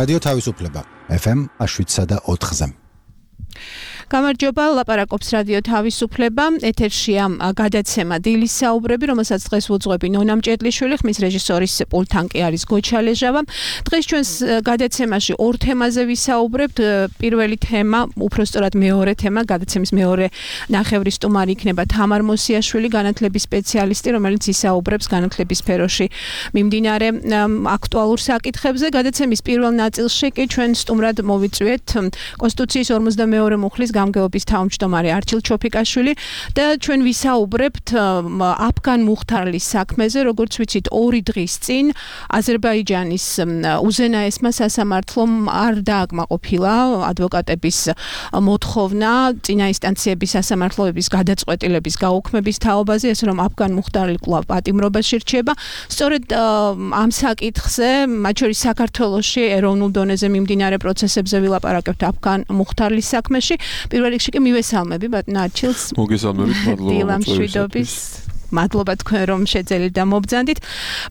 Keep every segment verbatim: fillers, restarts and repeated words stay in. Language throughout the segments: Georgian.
რადიო თავისუფლება ეფ ემ შვიდსა და ოთხზე. გამარჯობა, ლაპარაკობს რადიო თავისუფლება, ეთერშია გადაცემა დილის საუბრები, რომელსაც დღეს ვუძღვები ნონა მჭედლიშვილი, ხმის რეჟისორის პულტთან კი არის გოჩა ლეჟავა. დღეს ჩვენს გადაცემაში ორ თემაზე ვისაუბრებთ. პირველი თემა, უпростоრად მეორე თემა, გადაცემის მეორე ნახევრის სტუმარი იქნება თამარ მოსიაშვილი, განათლების სპეციალისტი, რომელიც ისაუბრებს განათლების სფეროში მიმდინარე აქტუალურ საკითხებზე. გადაცემის პირველ ნაწილში კი ჩვენ სტუმრად მოვიწვიეთ კონსტიტუციის ორმოცდამეორე მუხლის გამგეობის თავმჯდომარე არჩილ ჩოფიკაშვილი და ჩვენ ვისაუბრებთ აფგან მუხთარლის საქმეზე, როგორც ვიცით, ორი დღის წინ აზერბაიჯანის უზენაესმა სასამართლომ არ დააკმაყოფილა ადვოკატების მოთხოვნა წინა ინსტანციების სასამართლოების გადაწყვეტილების გაუქმების თაობაზე, ესე რომ აფგან მუხთარლი კვლავ პატიმრობაში რჩება. სწორედ ამ საკითხზე, მათ შორის საქართველოში ეროვნულ დონეზე მიმდინარე პროცესებზე ვილაპარაკებთ აფგან მუხთარლის საქმეში. პირველ რიგში კი მივესალმები ბატონ არჩილს. მოგესალმებით, მადლობა მოწვევისათვის. მადლობა თქვენ რომ შეძელით და მობრძანდით.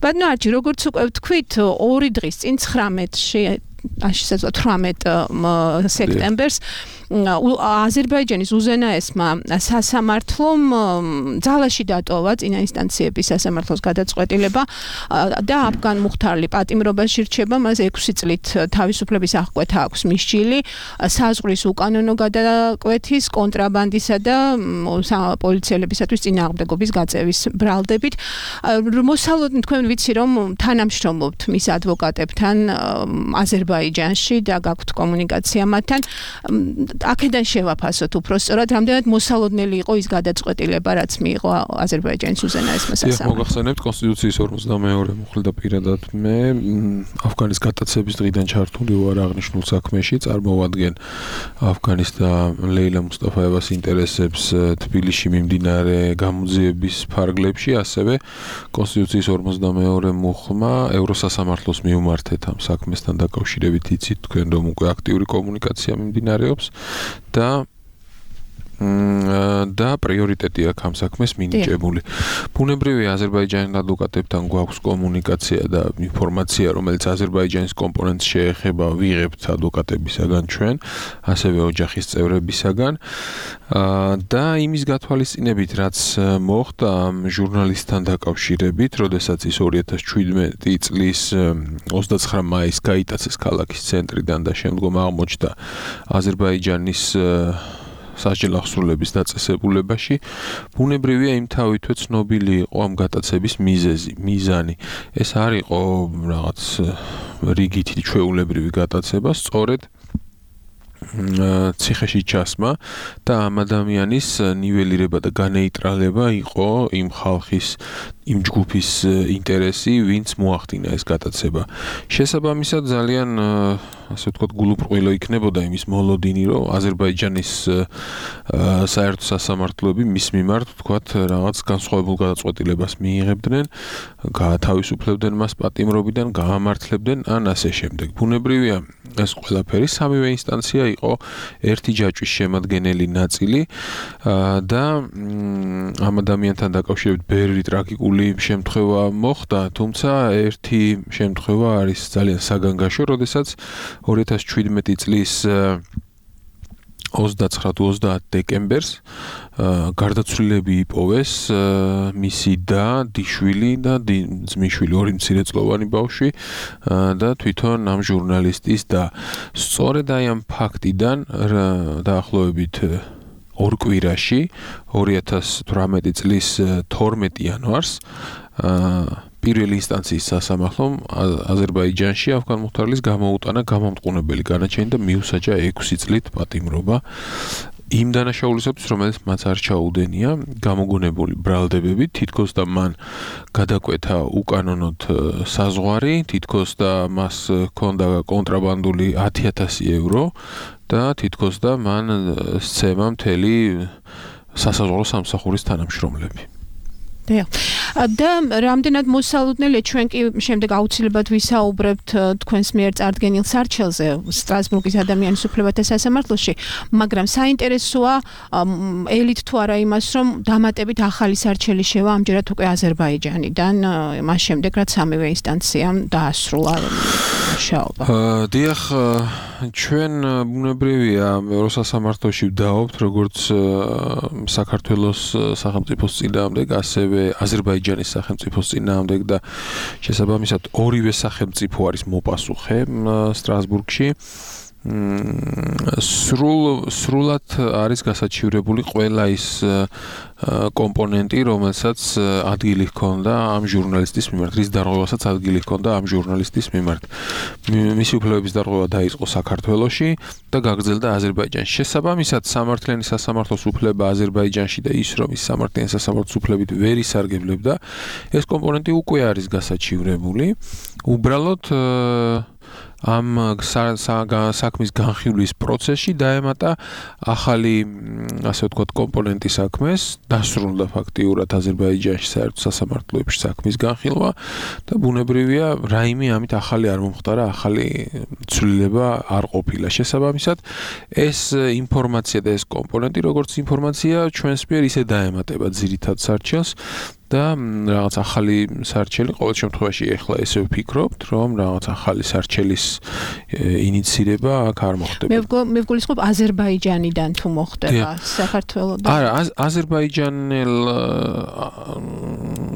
ბატონ არჩი, როგორც უკვე ვთქვით, ორი დღის წინ ცხრამეტში აში შეძლო თვრამეტ სექტემბერს აზერბაიჯანის უზენაესმა სასამართლომ ძალაში დატოვა წინა ინსტანციების სასამართლოს გადაწყვეტილება და აფგან მუხთარლი პატიმრობაში რჩება, მას ექვსი წლით თავისუფლების აღკვეთა აქვს მისჯილი, საზღვრის უკანონო გადაკვეთის, კონტრაბანდისა და პოლიციელებისათვის წინააღმდეგობის გაწევის ბრალდებით. მოსალოდნი თქვენ ვიცი რომ თანამშრომლობთ მის ადვოკატებთან აზერბაიჯანში და გაქვთ კომუნიკაცია მათთან. აქედან შევაფასოთ უпростоრად, რამდენად მოსალოდნელი იყო ის გადაწყვეტილება, რაც მიიღო აზერბაიჯანის უზენაესმა სასამართლომ. მოგახსენებთ კონსტიტუციის ორმოცდამეორე მუხლი და პირადად მე აფგანის გატაცების დღიდან ჩართული ვარ აღნიშნულ საქმეში, წარმოვადგენ აფგანის და ლეილა მუსტაფაევას ინტერესებს თბილისში მიმდინარე გამოძიების ფარგლებში, ასევე კონსტიტუციის ორმოცდამეორე მუხლმა ევროსასამართლოს მიუმართეთ ამ საქმესთან დაკავშირებით, იცით თქვენ რომ უკვე აქტიური კომუნიკაცია მიმდინარეობს და და პრიორიტეტი აქვს ამ საქმეს მინიჭებული. ბუნებრივია აზერბაიჯანის ადვოკატებთან გვაქვს კომუნიკაცია და ინფორმაცია, რომელიც აზერბაიჯანის კომპონენტს შეეხება, ვიღებთ ადვოკატებისაგან ჩვენ, ასევე ოჯახის წევრებისაგან და იმის გათვალისწინებით, რაც მოხდა ამ ჟურნალისტთან დაკავშირებით, როდესაც ის ორი ათას შვიდმეტი წლის ოცდაცხრა მაისს გაიტაცეს ქალაქის ცენტრიდან და შემდგომ აღმოჩნდა აზერბაიჯანის სასჯელ აღსრულების დაწესებულებაში, ბუნებრივია იმთავითვე ცნობილი იყო ამ გატაცების მიზეზი, მიზანი. ეს არ იყო რაღაც რიგითი ჩვეულებრივი გატაცება, სწორედ ციხეში ჩასმა და ამ ადამიანის ნიველირება და განეიტრალება იყო იმ ხალხის, იმ ჯგუფის ინტერესი, ვინც მოახდინა ეს გატაცება. შესაბამისად ძალიან ასე ვთქვათ გულუბრყვილო იქნებოდა იმის მოლოდინი, რომ აზერბაიჯანის საერთო სასამართლოები მის მიმართ ვთქვათ რაღაც განსხვავებულ გადაწყვეტილებას მიიღებდნენ, გაათავისუფლებდნენ მას პატიმრობიდან, გაამართლებდნენ ან ასე შემდეგ. ბუნებრივია ეს ყველაფერი სამივე ინსტანცია იყო ერთი ჯაჭვის შემადგენელი ნაწილი და ამ ადამიანთან დაკავშირებით ბევრი ტრაგიკული შემთხვევა მოხდა, თუმცა ერთი შემთხვევა არის ძალიან საგანგაშო, როდესაც ორი ათას შვიდმეტი წლის ოცდაცხრა თუ ოცდაათ დეკემბერს გარდაცვლილები იპოვეს მისი და დიშვილი და ძმიშვილი, ორი მცირეწლოვანი ბავშვი და თვითონ ამ ჟურნალისტის და სწორედ აი ამ ფაქტიდან დაახლოებით ორ კვირაში ორი ათას თვრამეტი წლის თორმეტი იანვარს პირველი ინსტანციის სასამართლომ აზერბაიჯანში აფგან მუხთარლის გამოუტანა გამამტყუნებელი განაჩენი და მიუსაჯა ექვსი წლით პატიმრობა იმ დანაშაულისათვის, რომელიც მას არ ჩაუდენია, გამოგონებული ბრალდებებით, თითქოს და მან გადაკვეთა უკანონოდ საზღვარი, თითქოს და მას ჰქონდა კონტრაბანდული ათი ათასი ევრო და თითქოს და მან სცემა მთელი სასაზღვრო სამსახურის თანამშრომლები. და რამდენად მოსალოდნელია ჩვენ კი შემდეგ აუცილებლად ვისაუბრებთ თქვენს მიერ წარდგენილ სარჩელზე სტრასბურგის ადამიანის უფლებათა სასამართლოში, მაგრამ საინტერესოა ელით თუ არა იმას, რომ დამატებით ახალი სარჩელი შევა ამჯერად უკვე აზერბაიჯანიდან, მას შემდეგ რაც სამივე ინსტანციამ დაასრულა მუშაობა. დიახ, ჩვენ ბუნებრივია ევროსასამართლოში ვდაობთ, როგორც საქართველოს სახელმწიფოს წინააღმდეგ, ასევე აზერბაიჯანის სახელმწიფოს წინააღმდეგ და შესაბამისად ორივე სახელმწიფო არის მოპასუხე სტრასბურგში. სრულ სრულად არის გასაჩივრებული ყველა ის კომპონენტი, რომელსაც ადგილი ჰქონდა ამ ჟურნალისტის მიმართ, რის დარღვევასაც ადგილი ჰქონდა ამ ჟურნალისტის მიმართ. მისი უფლებების დარღვევა დაიწყო საქართველოში და გაგრძელდა აზერბაიჯანში. შესაბამისად, სამართლიანი სასამართლოს უფლება აზერბაიჯანში და ის, რომ ის სამართლიანი სასამართლოს უფლებით ვერ ისარგებლებდა, ეს კომპონენტი უკვე არის გასაჩივრებული. უბრალოდ ამ საქმის განხილვის პროცესში დაემატა ახალი, ასე ვთქვათ, კომპონენტი საქმეს, დასრულდა ფაქტიურად აზერბაიჯანში საერთო სასამართლოებში საქმის განხილვა და ბუნებრივია, რაიმე ამით ახალი არ მომხდარა, ახალი ცვლილება არ ყოფილა. შესაბამისად, ეს ინფორმაცია და ეს კომპონენტი, როგორც ინფორმაცია, ჩვენს მიერ ისე დაემატება ძირითად სარჩელს და რაღაც ახალი სარჩელი ყოველ შემთხვევაში ეხლა ესე ვფიქრობთ, რომ რაღაც ახალი სარჩელის ინიცირება აქ არ მოხდება. მე ვგულისხმობ აზერბაიჯანიდან თუ მოხდება საქართველოსთან. არა, აზერბაიჯანელ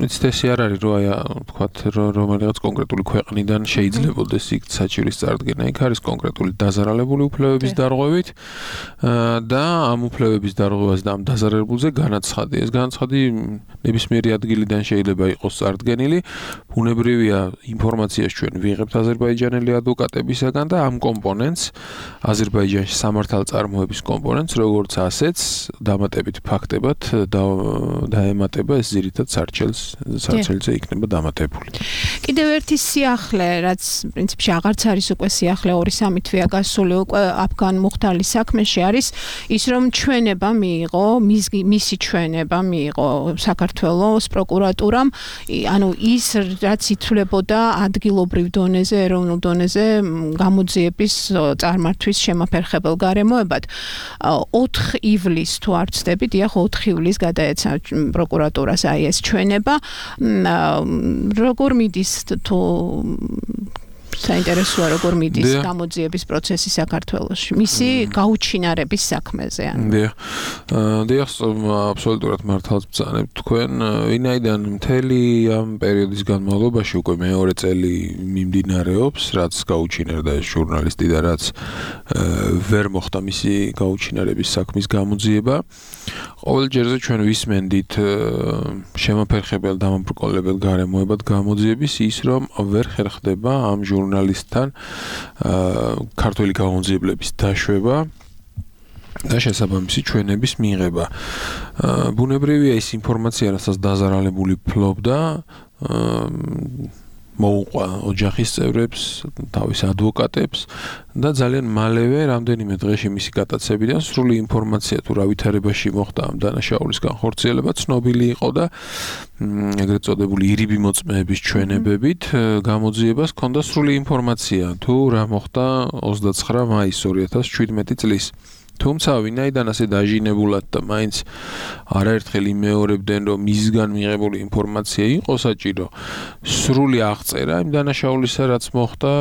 იცით ესე არ არის, რომ აი ვთქვათ, რომელიღაც კონკრეტული ქვეყნიდან შეიძლებოდეს იქ საჩივრის წარდგენა. იქ არის კონკრეტული დაზარალებული უფლებების დარღვევით და ამ უფლებების დარღვევას და ამ დაზარალებულზე განაცხადი. ეს განაცხადი ნებისმიერი ადგილიდან შეიძლება იყოს წარდგენილი. ბუნებრივია, ინფორმაციას ჩვენ ვიღებთ აზერბაიჯანელი ადვოკატებისაგან და ამ კომპონენტს აზერბაიჯანში სამართალწარმოების კომპონენტს, როგორც ასეც დამატებით ფაქტებად დაემატება ეს ძირითად სარჩელს, სარჩელზე იქნება დამატებული. კიდევ ერთი სიახლე, რაც პრინციპში აღარც არის უკვე სიახლე ორი სამი თვეა გასული უკვე აფგან მუხთალის საქმეში არის ის, რომ ჩვენება მიიღო, მისი ჩვენება მიიღო საქართველოს პროკურატურამ, ანუ ის რაც ითვლებოდა ადგილობრივ დონეზე, ეროვნულ დონეზე გამოძიების წარმართვის შემაფერხებელ გარემოებად. ოთხ ივლისს თუ არ ვცდები, დიახ, ოთხ ივლისს გადაეცა პროკურატურას აი ეს ჩვენება. როგორ მიდის თუ საინტერესოა როგორ მიდის გამოძიების პროცესი საქართველოში მისი გაუჩინარების საქმეზე. დიახ, დიახ, აბსოლუტურად მართალს ბრძანებთ თქვენ, ვინაიდან მთელი ამ პერიოდის განმავლობაში უკვე მეორე წელი მიმდინარეობს, რაც გაუჩინარდა ეს ჟურნალისტი და რაც ვერ მოხდა მისი გაუჩინარების საქმის გამოძიება. ყოველ ჯერზე ჩვენ ვისმენდით შემაფერხებელ დამაბრკოლებელ გარემოებად გამოძიების ის, რომ ვერ ხერხდება ამ ჟურნალისტთან ქართველი გამოძიებლების დაშვება და შესაბამისი ჩვენების მიღება. ბუნებრივია ის ინფორმაცია, რასაც დაზარალებული ფლობდა, მოუყვა ოჯახის წევრებს, თავის ადვოკატებს და ძალიან მალევე რამდენიმე დღეში მისი გატაცებიდან სრული ინფორმაცია თუ რა ვითარებაში მოხდა ამ დანაშაულის განხორციელება ცნობილი იყო და ეგრეთ წოდებული ირიბი მოწმეების ჩვენებებით გამოძიებას ჰქონდა სრული ინფორმაცია თუ რა მოხდა ოცდაცხრა მაისს ორი ათას შვიდმეტი წლის. თუმცა ვინაიდან ასე დაჟინებულად და მაინც არაერთხელ იმეორებდნენ, რომ მისგან მიღებული ინფორმაცია იყო საჭირო, სრული აღწერა იმ დანაშაულისა, რაც მოხდა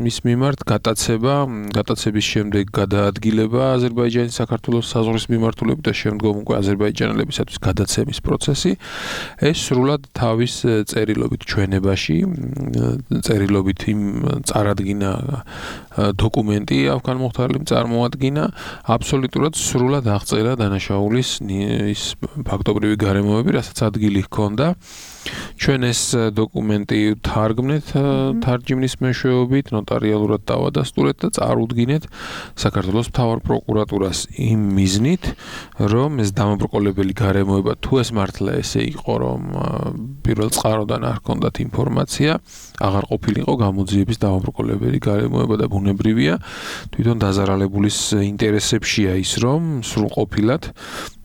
მის მიმართ, გატაცება, გატაცების შემდეგ გადაადგილება აზერბაიჯანის საქართველოს საზღვრის მიმართულებით და შემდგომ უკვე აზერბაიჯანელებისათვის გადაცემის პროცესი, ეს სრულად თავის წერილობით ჩვენებაში, წერილობით იმ წარადგინა დოკუმენტი აფგან მუხთარლიმ წარმოადგინა, აბსოლუტურად სრულად აღწერა დანაშაულის ის ფაქტობრივი გარემოები, რასაც ადგილი ჰქონდა. ჩვენ ეს დოკუმენტი თარგმნეთ თარჯიმნის მეშვეობით, ნოტარიალურად დავადასტურეთ და წარუდგინეთ საქართველოს მთავარ პროკურატურას იმ მიზნით, რომ ეს დამაბრკოლებელი გარემოება თუ ეს მართლა ესე იყო, რომ პირველ წყაროდან არ ჰქონდათ ინფორმაცია, აღარ ყოფილიყო გამოძიების დავაბრკოლებელი გარემოება და ბუნებრივია, თვითონ დაზარალებულის ინტერესებშია ის, რომ სრულყოფილად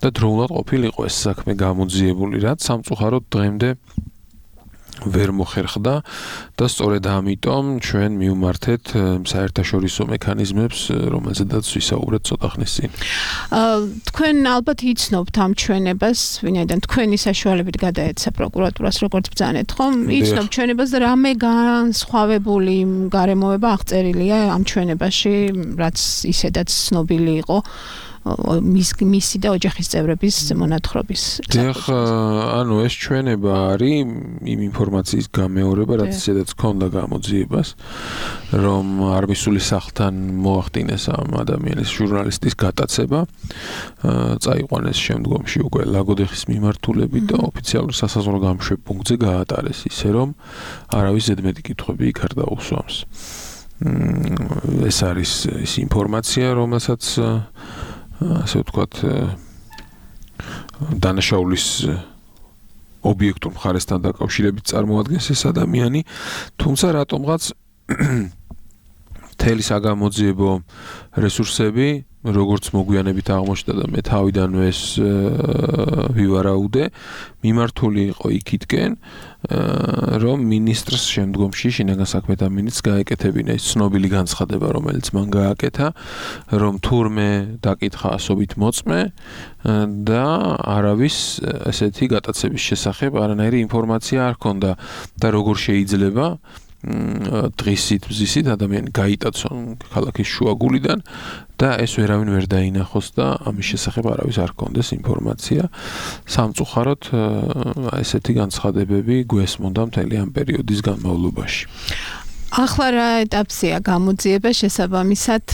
და დროულად ყოფილიყო ეს საქმე გამოძიებული, რაც სამწუხაროდ დღემდე ვერ მოხერხდა და სწორედ ამიტომ ჩვენ მივმართეთ საერთაშორისო მექანიზმებს, რომელზედაც ვისაუბრეთ ცოტა ხნის წინ. თქვენ ალბათ იცნობთ ამ ჩვენებას, ვინაიდან თქვენი საშუალებით გადაეცა პროკურატურას, როგორც ბრძანეთ, ხომ? იცნობთ ჩვენებას და რამე განსხვავებული გარემოება აღწერილია ამ ჩვენებაში, რაც ისედაც ცნობილი იყო. მის მისი და ოჯახის წევრების მონათხრობის. დიახ, ანუ ეს ჩვენება არის იმ ინფორმაციის გამეორება, რაც ისედაც ჰქონდა გამოძიებას, რომ არ მისული სახლთან მოახდინეს ამ ადამიანის ჟურნალისტის გატაცება, წაიყვანეს შემდგომში უკვე ლაგოდეხის მიმართულებით და ოფიციალურ სასაზღვრო გამშვებ პუნქტზე გაატარეს, ისე რომ არავის ზედმეტი კითხვები იქ არ დაუსვამს. ეს არის ის ინფორმაცია, რომელსაც ასე ვთქვათ, დანაშაულის ობიექტურ მხარესთან დაკავშირებით წარმოადგენს ეს ადამიანი, თუმცა რატომღაც მთელი საგამოძიებო რესურსები, როგორც მოგვიანებით აღმოჩნდა და მე თავიდანვე ეს ვივარაუდე, მიმართული იყო იქითკენ, რომ მინისტრს შემდგომში შინაგან საქმეთა მინისტრს გაეკეთებინა ის ცნობილი განცხადება, რომელიც მან გააკეთა, რომ თურმე დაკითხა ასობით მოწმე და არავის ესეთი გატაცების შესახებ არანაირი ინფორმაცია არ ჰქონდა და როგორ შეიძლება დღისით მზისით ადამიანი გაიტაცონ ქალაქის შუაგულიდან და ეს ვერავინ ვერ დაინახოს და ამის შესახებ არავის არ ჰქონდეს ინფორმაცია. სამწუხაროდ ესეთი განცხადებები გვესმოდა მთელი ამ პერიოდის განმავლობაში. ახლა რა ეტაპზეა გამოძიება, შესაბამისად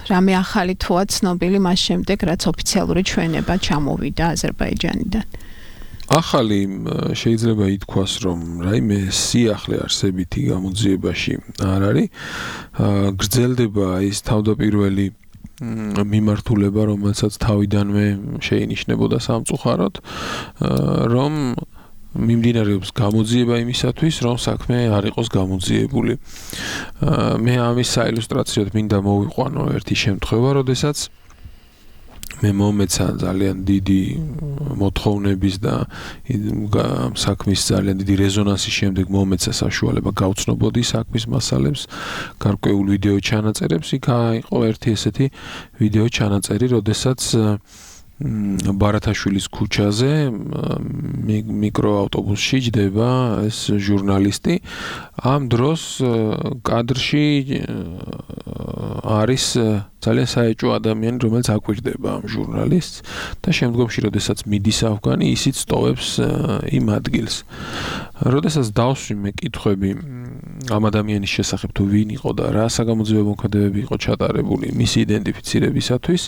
რამე ახალი თუა ცნობილი მას შემდეგ, რაც ოფიციალური ჩვენება ჩამოვიდა აზერბაიჯანიდან. ახალი შეიძლება ითქვას, რომ რაიმე სიახლე არსებითი გამოძიებაში არ არის. გრძელდება ის თავდაპირველი მიმართულება, რომელსაც თავიდანვე შეინიშნებოდა სამწუხაროდ, რომ მიმდინარეობს გამოძიება იმისათვის, რომ საქმე არ იყოს გამოძიებული. მე ამის საილუსტრაციოდ მინდა მოვიყვანო ერთი შემთხვევა, როდესაც მე მომეცა ძალიან დიდი მოთხოვნების და საქმის ძალიან დიდი რეზონანსის შემდეგ მომეცა საშუალება გავცნობოდი საქმის მასალებს, გარკვეულ ვიდეო ჩანაწერებს. იქ იყო ერთი ესეთი ვიდეო ჩანაწერი, როდესაც ბარათაშვილის ქუჩაზე მიკროავტობუსში ჯდება ეს ჟურნალისტი. ამ დროს კადრში არის ძალიან საეჭვო ადამიანი, რომელიც აკვირდება ამ ჟურნალისტს და შემდგომში, როდესაც მიდის ავგანი, ისიც სტოვებს იმ ადგილს. როდესაც დავსვი მე კითხვები ამ ადამიანის შესახებ, თუ ვინ იყო და რა საგამოძიებო მოქმედებები იყო ჩატარებული მისი იდენტიფიცირებისათვის,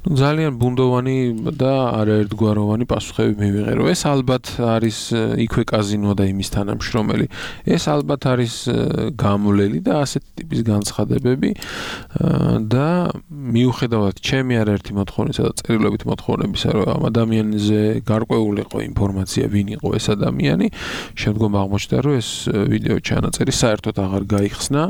ნუ ძალიან ბუნდოვანი და არაერთგვაროვანი პასუხები მივიღე, რომ ეს ალბათ არის იქვე კაზინო და იმის თანამშრომელი. ეს ალბათ არის გამვლელი და ასეთი ტიპის განცხადებები და მიუხედავად ჩემი არაერთი მოთხოვნისა და წერილობით მოთხოვნებისა, რომ ამ ადამიანზე გარკვეული იყო ინფორმაცია, ვინ იყო ეს ადამიანი, შემდგომ აღმოჩნდა, რომ ეს ვიდეო ჩანაწერი საერთოდ აღარ გაიხსნა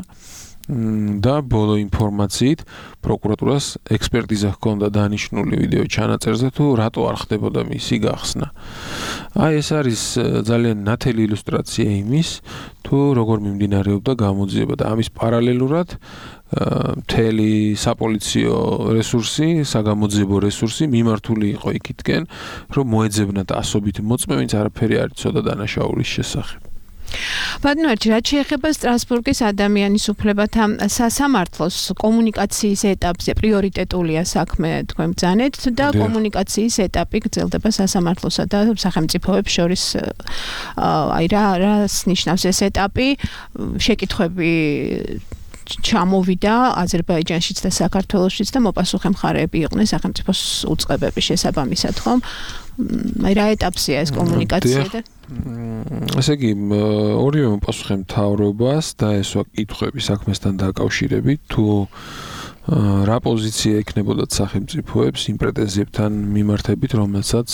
და ბოლო ინფორმაციით პროკურატურას ექსპერტიზა ჰქონდა დანიშნული ვიდეო ჩანაწერზე, თუ რატო არ ხდებოდა მისი გახსნა. აი ეს არის ძალიან ნათელი ილუსტრაცია იმის, თუ როგორ მიმდინარეობდა გამოძიება და ამის პარალელურად მთელი საპოლიციო რესურსი, საგამოძიებო რესურსი მიმართული იყო იქითკენ, რომ მოეძებნათ ასობით მოწმე, ვინც არაფერი არ იცოდა დანაშაულის შესახებ. ბატონო, რაც შეეხება სტრასბურგის ადამიანის უფლებათა სასამართლოს კომუნიკაციის ეტაპზე პრიორიტეტულია საქმე თქვენ ბრძანეთ და კომუნიკაციის ეტაპი გრძელდება სასამართლოსა და სახელმწიფოებს შორის. აი რა რას ნიშნავს ეს ეტაპი? შეკითხვები ჩამოვიდა აზერბაიჯანშიც და საქართველოშიც და მოპასუხე მხარეები იყვნენ სახელმწიფოს უწყებების შესაბამისად, ხომ? აი რა ეტაპზეა ეს კომუნიკაცია და ესე იგი, ორივე მოპასუხე მთავრობას დაესვა კითხვები საქმესთან დაკავშირებით, თუ რა პოზიცია ექნებოდათ სახელმწიფოებს იმ პრეტენზიებთან მიმართებით, რომელსაც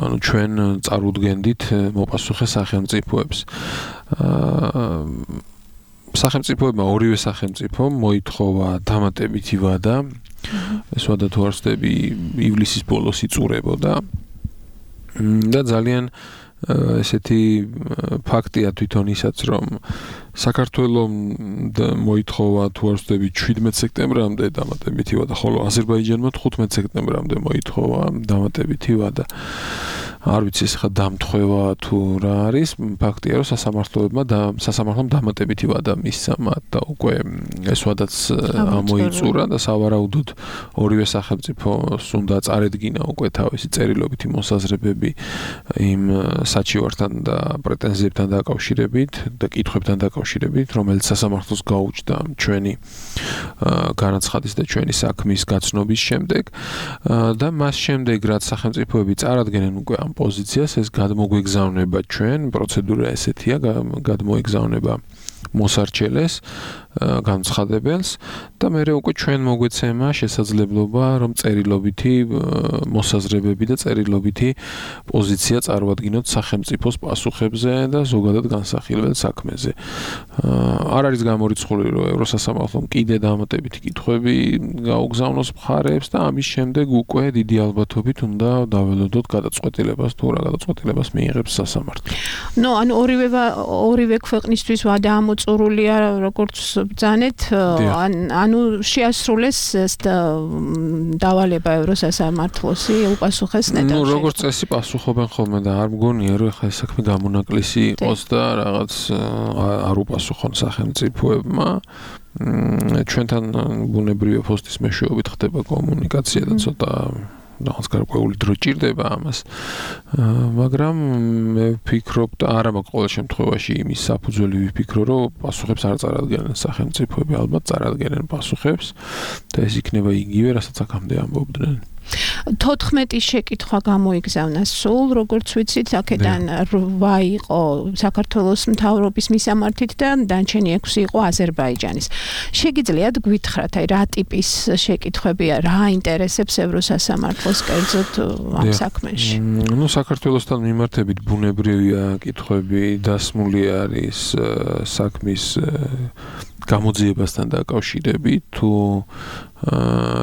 ანუ ჩვენ წარუდგენდით მოპასუხე სახელმწიფოებს. სახელმწიფოებმა ორივე სახელმწიფომ მოითხოვა დამატებითი ვადა. ეს ვადა თუ არ ვცდები ივლისის ბოლოს იწურებოდა. და ძალიან ესეთი ფაქტია თვითონ ისაც რომ საქართველოს მოითხოვა თუ არ ვცდები შვიდმეტ სექტემბრამდე დამატებითი ვადა, ხოლო აზერბაიჯანმა თხუთმეტ სექტემბრამდე მოითხოვა დამატებითი ვადა. არ ვიცი ეს ხა დამთხევა თუ რა არის, ფაქტია რომ სასამართლოებმა და სასამართლომ დამატებითი ვადა მისცა მათ და უკვე ეს ვადაც ამოიწურა და სავარაუდოდ ორივე სახელმწიფოს უნდა წარედგინა უკვე თავისი წერილობითი მოსაზრებები იმ საჩივართან და პრეტენზიებთან დაკავშირებით და კითხვებთან დაკავშირებით, რომელიც სასამართლოს გაუჩნდა ჩვენი განაცხადის და ჩვენი საქმის გაცნობის შემდეგ და მას შემდეგ რაც სახელმწიფოები წარადგენენ უკვე ამ პოზიციას, ეს გადმოგვეგზავნება ჩვენ, პროცედურა ესეთია, გადმოეგზავნება მოსარჩელეს, განცხადებელს და მე უკვე ჩვენ მოგვეცემა შესაძლებლობა რომ წერილობითი მოსაზრებები და წერილობითი პოზიცია წარვადგინოთ სახელმწიფოს პასუხებზე და ზოგადად განსახილველ საქმეზე. არ არის გამორიცხული რომ ევროსასამართლომ კიდე დამატებითი კითხვები გაუგზავნოს მხარეებს და ამის შემდეგ უკვე დიდი ალბათობით უნდა დაველოდოთ გადაწყვეტილებას თუ რა გადაწყვეტილებას მიიღებს სასამართლო. ნუ ანუ ორივე ორივე ქვეყნისთვის ვადა ამოწურულია როგორც ბრძანეთ, ანუ შეასრულეს დავალება ევროსასამართლოსი უპასუხეს ნეტარში. ნუ როგორც წესი პასუხობენ ხოლმე და არ მგონია რომ ეხლა ეს საქმე გამონაკლისი იყოს და რაღაც არ უპასუხონ სახელმწიფოებმა. ჩვენთან ბუნებრივი ფოსტის მეშვეობით ხდება კომუნიკაცია და ცოტა რაღაც გარკვეული დრო ჭირდება ამას. მაგრამ მე ვფიქრობ და არა მაქვს ყოველ შემთხვევაში იმის საფუძველი ვიფიქრო, რომ პასუხებს არ წარადგენენ სახელმწიფოები, ალბათ წარადგენენ პასუხებს და ეს იქნება იგივე, რასაც აქამდე ამბობდნენ. თოთხმეტი შეკითხვა გამოიგზავნა სულ, როგორც ვიცით, აქედან რვა იყო საქართველოს მთავრობის მისამართით და დანარჩენი ექვსი იყო აზერბაიჯანის. შეგიძლიათ გვითხრათ, აი რა ტიპის შეკითხვებია, რა აინტერესებს ევროსასამართლოს კერძოდ ამ საქმეში? ნუ საქართველოსთან მიმართებით ბუნებრივია კითხვები, დასმული არის საქმის გამოძიებასთან დაკავშირებით, თუ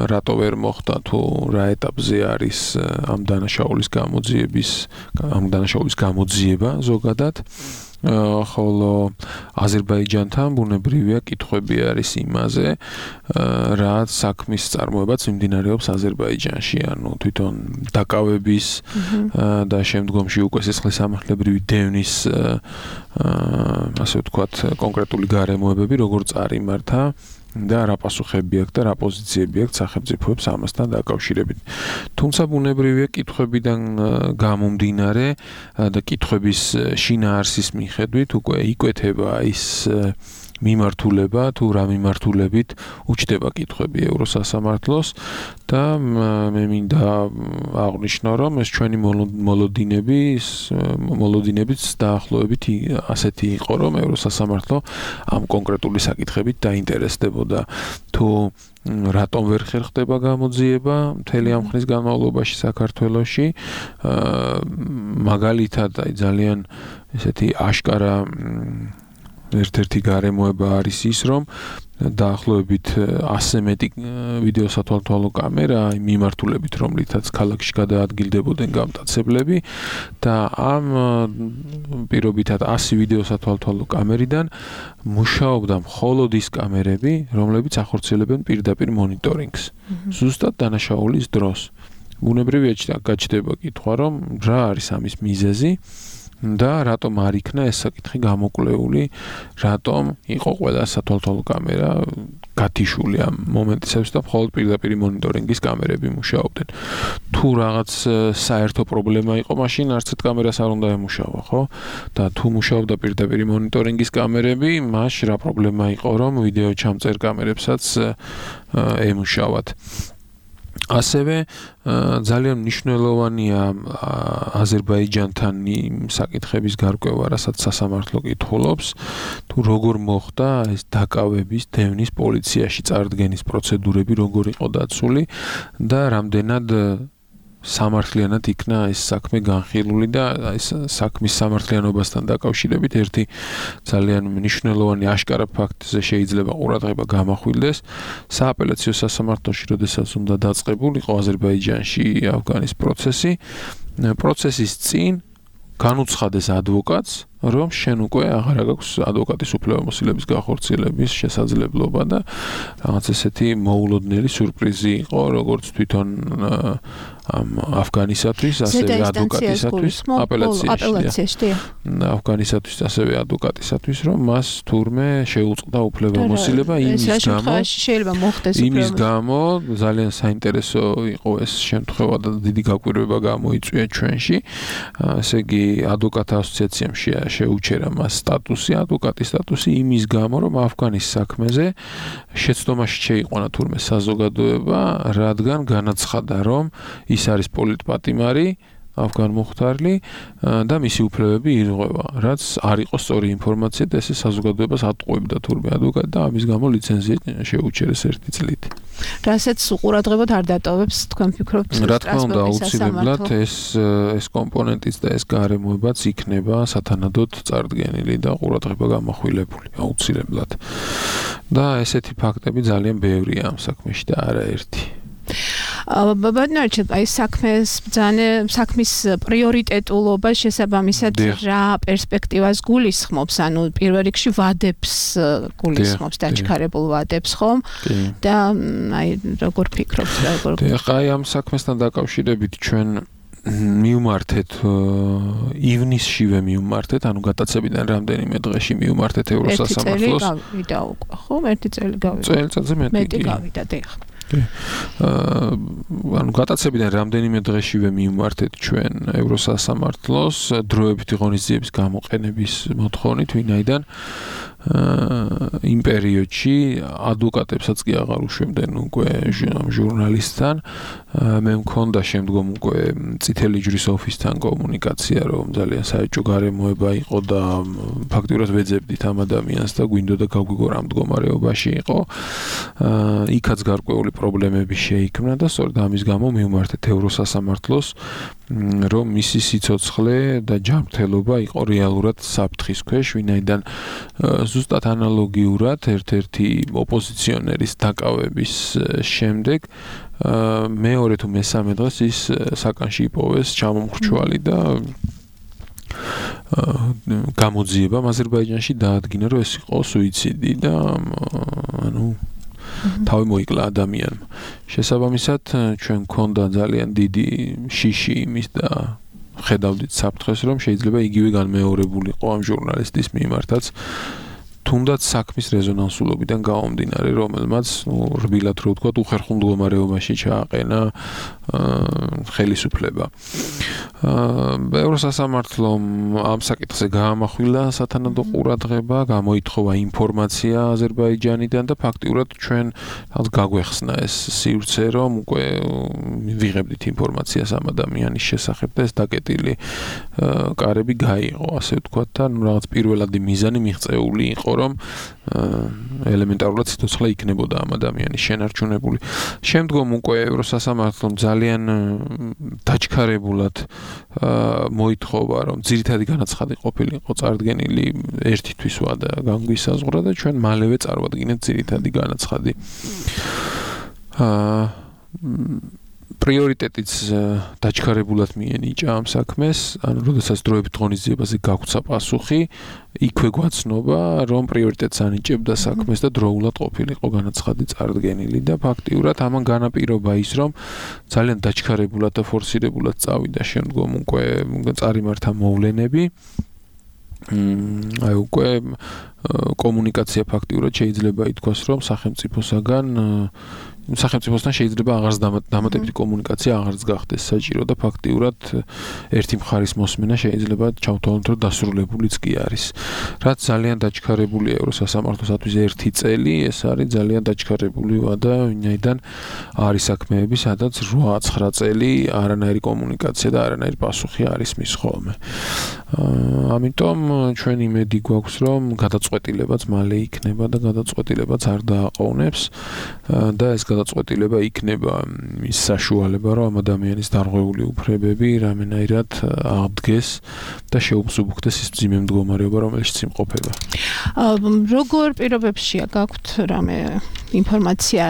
რატო ვერ მოხდა, თუ რა ეტაპზე არის ამ დანაშაულის გამოძიების, ამ დანაშაულის გამოძიება ზოგადად. ხოლო აზერბაიჯანთან ბუნებრივია კითხვები არის იმაზე, რა საქმის წარმოებაც მიმდინარეობს აზერბაიჯანში, ანუ თვითონ დაკავების და შემდგომში უკვე სისხლისამართლებრივი დევნის ასე ვთქვათ კონკრეტული გარემოებები როგორ წარიმართა და რა პასუხები აქვს და რა პოზიციები აქვს სახელმწიფოებს ამასთან დაკავშირებით. თუმცა ბუნებრივია კითხვებიდან გამომდინარე და კითხვების შინაარსის მიხედვით უკვე იკვეთება ის მიმართულება თუ რა მიმართულებით უჩდება კითხვები ევროსასამართლოს და მე მინდა აღვნიშნო რომ ეს ჩვენი მოლოდინები მოლოდინებიც დაახლოებით ასეთი იყო რომ ევროსასამართლო ამ კონკრეტული საკითხებით დაინტერესდებოდა თუ რატომ ვერ ხერხდება გამოძიება მთელი ამ ხნის განმავლობაში საქართველოში მაგალითად აი ძალიან ესეთი აშკარა ერთ-ერთი გარემოება არის ის, რომ დაახლოებით ასზე მეტი ვიდეო სათვალთვალო კამერა მიმართულებით, რომლითაც ქალაქში გადაადგილდებოდნენ გამტაცებლები და ამ პირობითად ასი ვიდეო სათვალთვალო კამერიდან მუშაობდა მხოლოდ ის კამერები, რომლებიც ახორციელებენ პირდაპირ მონიტორინგს. ზუსტად დანაშაულის დროს. ბუნებრივია გაჩნდება კითხვა, რომ რა არის ამის მიზეზი და რატომ არ იქნა ეს საკითხი გამოკვლეული, რატომ იყო ყველა სათვალთვალო კამერა გათიშული ამ მომენტისათვის და მხოლოდ პირდაპირ მონიტორინგის კამერები მუშაობდნენ. თუ რაღაც საერთო პრობლემა იყო, მაშინ არც ერთ კამერას არ უნდა ემუშავა, ხო? და თუ მუშაობდა პირდაპირ მონიტორინგის კამერები, მაშ რა პრობლემა იყო, რომ ვიდეო ჩამწერ კამერებსაც ემუშავათ. ასევე ძალიან მნიშვნელოვანია აზერბაიჯანთან საკითხების გარკვევა, რასაც სასამართლო კითხულობს, თუ როგორ მოხდა ეს დაკავების, დევნის პოლიციაში წარდგენის პროცედურები, როგორ იყო დაცული და რამდენად სამართლიანად იქნა ეს საქმე განხილული და ეს საქმის სამართლიანობასთან დაკავშირებით ერთი ძალიან მნიშვნელოვანი აშკარა ფაქტზე შეიძლება ყურადღება გამახვილდეს. სააპელაციო სასამართლოში, როდესაც უნდა დაწყებულიყო აზერბაიჯანში ავგანის პროცესი, პროცესის წინ განუცხადეს ადვოკატს, რომ შენ უკვე აღარ აქვს ადვოკატის უფლებამოსილების განხორციელების შესაძლებლობა და რაღაც ესეთი მოულოდნელი სიურპრიზი იყო, როგორც თვითონ ამ ავგანისათვის, ასევე ადვოკატისათვის, აპელაციაში. ავგანისათვის, ასევე ადვოკატისათვის, რომ მას თურმე შეუწყდა უფლებამოსილება იმის გამო, შეიძლება მოხდეს იმის გამო ძალიან საინტერესო იყო ეს შემთხვევა და დიდი გაკვირვება გამოიწვია ჩვენში. ასე იგი, ადვოკატთა ასოციაციამ შეუჩერა მას სტატუსი, ადვოკატის სტატუსი იმის გამო, რომ ავგანის საქმეზე შეცდომაში შეიყვანა თურმე საზოგადოება, რადგან განაცხადა, რომ ის არის პოლიტპატიმარი, ავგან მუხთარლი და მისი უფლებები ირღვევა, რაც არ იყო სწორი ინფორმაცია და ესე საზოგადოებას ატყუებდა თურმე ადვოკატი და ამის გამო ლიცენზია შეუჩერეს ერთი წლით. რასაც უყურადღებოდ არ დატოვებს, თქვენ ფიქრობთ, რა თქმა უნდა, აუცილებლად ეს ეს კომპონენტიც და ეს გარემოებაც იქნება სათანადოდ წარდგენილი და ყურადღება გამახვილებული, აუცილებლად. და ესეთი ფაქტები ძალიან ბევრია ამ საქმეში და არაერთი. ბაბანარჩ, აი საქმეს ბრძანე, საქმის პრიორიტეტულობა შესაბამისად რა პერსპექტივას გულისხმობს, ანუ პირველ რიგში ვადებს გულისხმობს, დაჩქარებულ ვადებს, ხომ? და აი როგორ ფიქრობთ, როგორ? და აი ამ საქმესთან დაკავშირებით ჩვენ მივმართეთ ივნისშივე მივმართეთ, ანუ გატაცებიდან რამდენიმე დღეში მივმართეთ ევროსასამართლოს. ერთი წელი გავიდა უკვე, ხო? ერთი წელი გავიდა. წელიწადზე მეტი. მეტი გავიდა, დიახ. ანუ გატაცებიდან რამდენიმე დღეშივე მივმართეთ ჩვენ ევროსასამართლოს დროებითი ღონისძიების გამოყენების მოთხოვნით, ვინაიდან იმ პერიოდში ადვოკატებსაც კი აღარ უშვებდნენ უკვე ჟურნალისტთან. მე მქონდა შემდგომ უკვე წითელი ჯვრის ოფისთან კომუნიკაცია, რომ ძალიან საეჭვო გარემოება იყო და ფაქტიურად ვეძებდით ამ ადამიანს და გვინდოდა გავგვიგო რა მდგომარეობაში იყო. იქაც გარკვეული პრობლემები შეიქმნა და სწორედ ამის გამო მივმართეთ ევროსასამართლოს, რომ მისი სიცოცხლე და ჯანმრთელობა იყო რეალურად საფრთხის ქვეშ, ვინაიდან ზუსტად ანალოგიურად ერთ-ერთი ოპოზიციონერის დაკავების შემდეგ მეორე თუ მესამე დღეს ის საკანში იპოვეს ჩამომხრჩვალი და გამოძიება აზერბაიჯანში დაადგინა, რომ ეს იყო სუიციდი და ანუ თავი მოიკლა ადამიანმა. შესაბამისად, ჩვენ გქონდა ძალიან დიდი შიში იმის და ხედავდით საფრთხეს, რომ შეიძლება იგივე განმეორებულიყო ამ ჟურნალისტის მიმართაც. თუნდაც საქმის რეზონანსულობიდან გამომდინარე, რომელმაც, ნუ, რბილად რო ვთქვა, უხერხულ მდგომარეობაში ჩააყენა ხელისუფლება. ევროსასამართლომ ამ საკითხზე გაამახვილა სათანადო ყურადღება, გამოითხოვა ინფორმაცია აზერბაიჯანიდან და ფაქტიურად ჩვენ რაღაც გაგვეხსნა ეს სივრცე, რომ უკვე ვიღებდით ინფორმაციას ამ ადამიანის შესახებ და ეს დაკეტილი კარები გაიღო, ასე ვთქვათ და ნუ რაღაც პირველადი მიზანი მიღწეული იყო, რომ ელემენტარულად სიცოცხლე იქნებოდა ამ ადამიანის შენარჩუნებული. შემდგომ უკვე ევროსასამართლომ ძალიან დაჩქარებულად მოითხოვა, რომ ძირითადი განაცხადი ყოფილიყო წარდგენილი ერთი თვის ვადა განგვისაზღვრა და ჩვენ მალევე წარვადგინეთ ძირითადი განაცხადი. პრიორიტეტიც დაჩქარებულად მიენიჭა ამ საქმეს, ანუ როდესაც დროებით ღონისძიებაზე გაგვცა პასუხი, იქვე გვაცნობა, რომ პრიორიტეტს ანიჭებდა საქმეს და დროულად ყოფილიყო განაცხადი წარდგენილი და ფაქტიურად ამან განაპირობა ის, რომ ძალიან დაჩქარებულად და ფორსირებულად წავიდა შემდგომ უკვე წარიმართა მოვლენები. აი უკვე კომუნიკაცია ფაქტიურად შეიძლება ითქვას, რომ სახელმწიფოსაგან სახელმწიფოსთან შეიძლება აღარც დამატებითი კომუნიკაცია აღარც გახდეს საჭირო და ფაქტიურად ერთი მხარის მოსმენა შეიძლება ჩავთვალოთ, რომ დასრულებულიც კი არის. რაც ძალიან დაჩქარებულია ევროსასამართლოსათვის ერთი წელი, ეს არის ძალიან დაჩქარებული ვადა, ვინაიდან არის საქმეები, სადაც რვა ცხრა წელი არანაირი კომუნიკაცია და არანაირი პასუხი არის მის ხოლმე. ამიტომ ჩვენ იმედი გვაქვს, რომ გადაწყვეტილება გადაწყვეტილებაც მალე იქნება და გადაწყვეტილებაც არ დააყოვნებს და ეს გადაწყვეტილება იქნება ის საშუალება, რომ ამ ადამიანის დარღვეული უფლებები რამენაირად აღდგეს და შეუფსუბუქდეს ის მძიმე მდგომარეობა, რომელშიც იმყოფება. როგორ პირობებშია გაქვთ რამე ინფორმაცია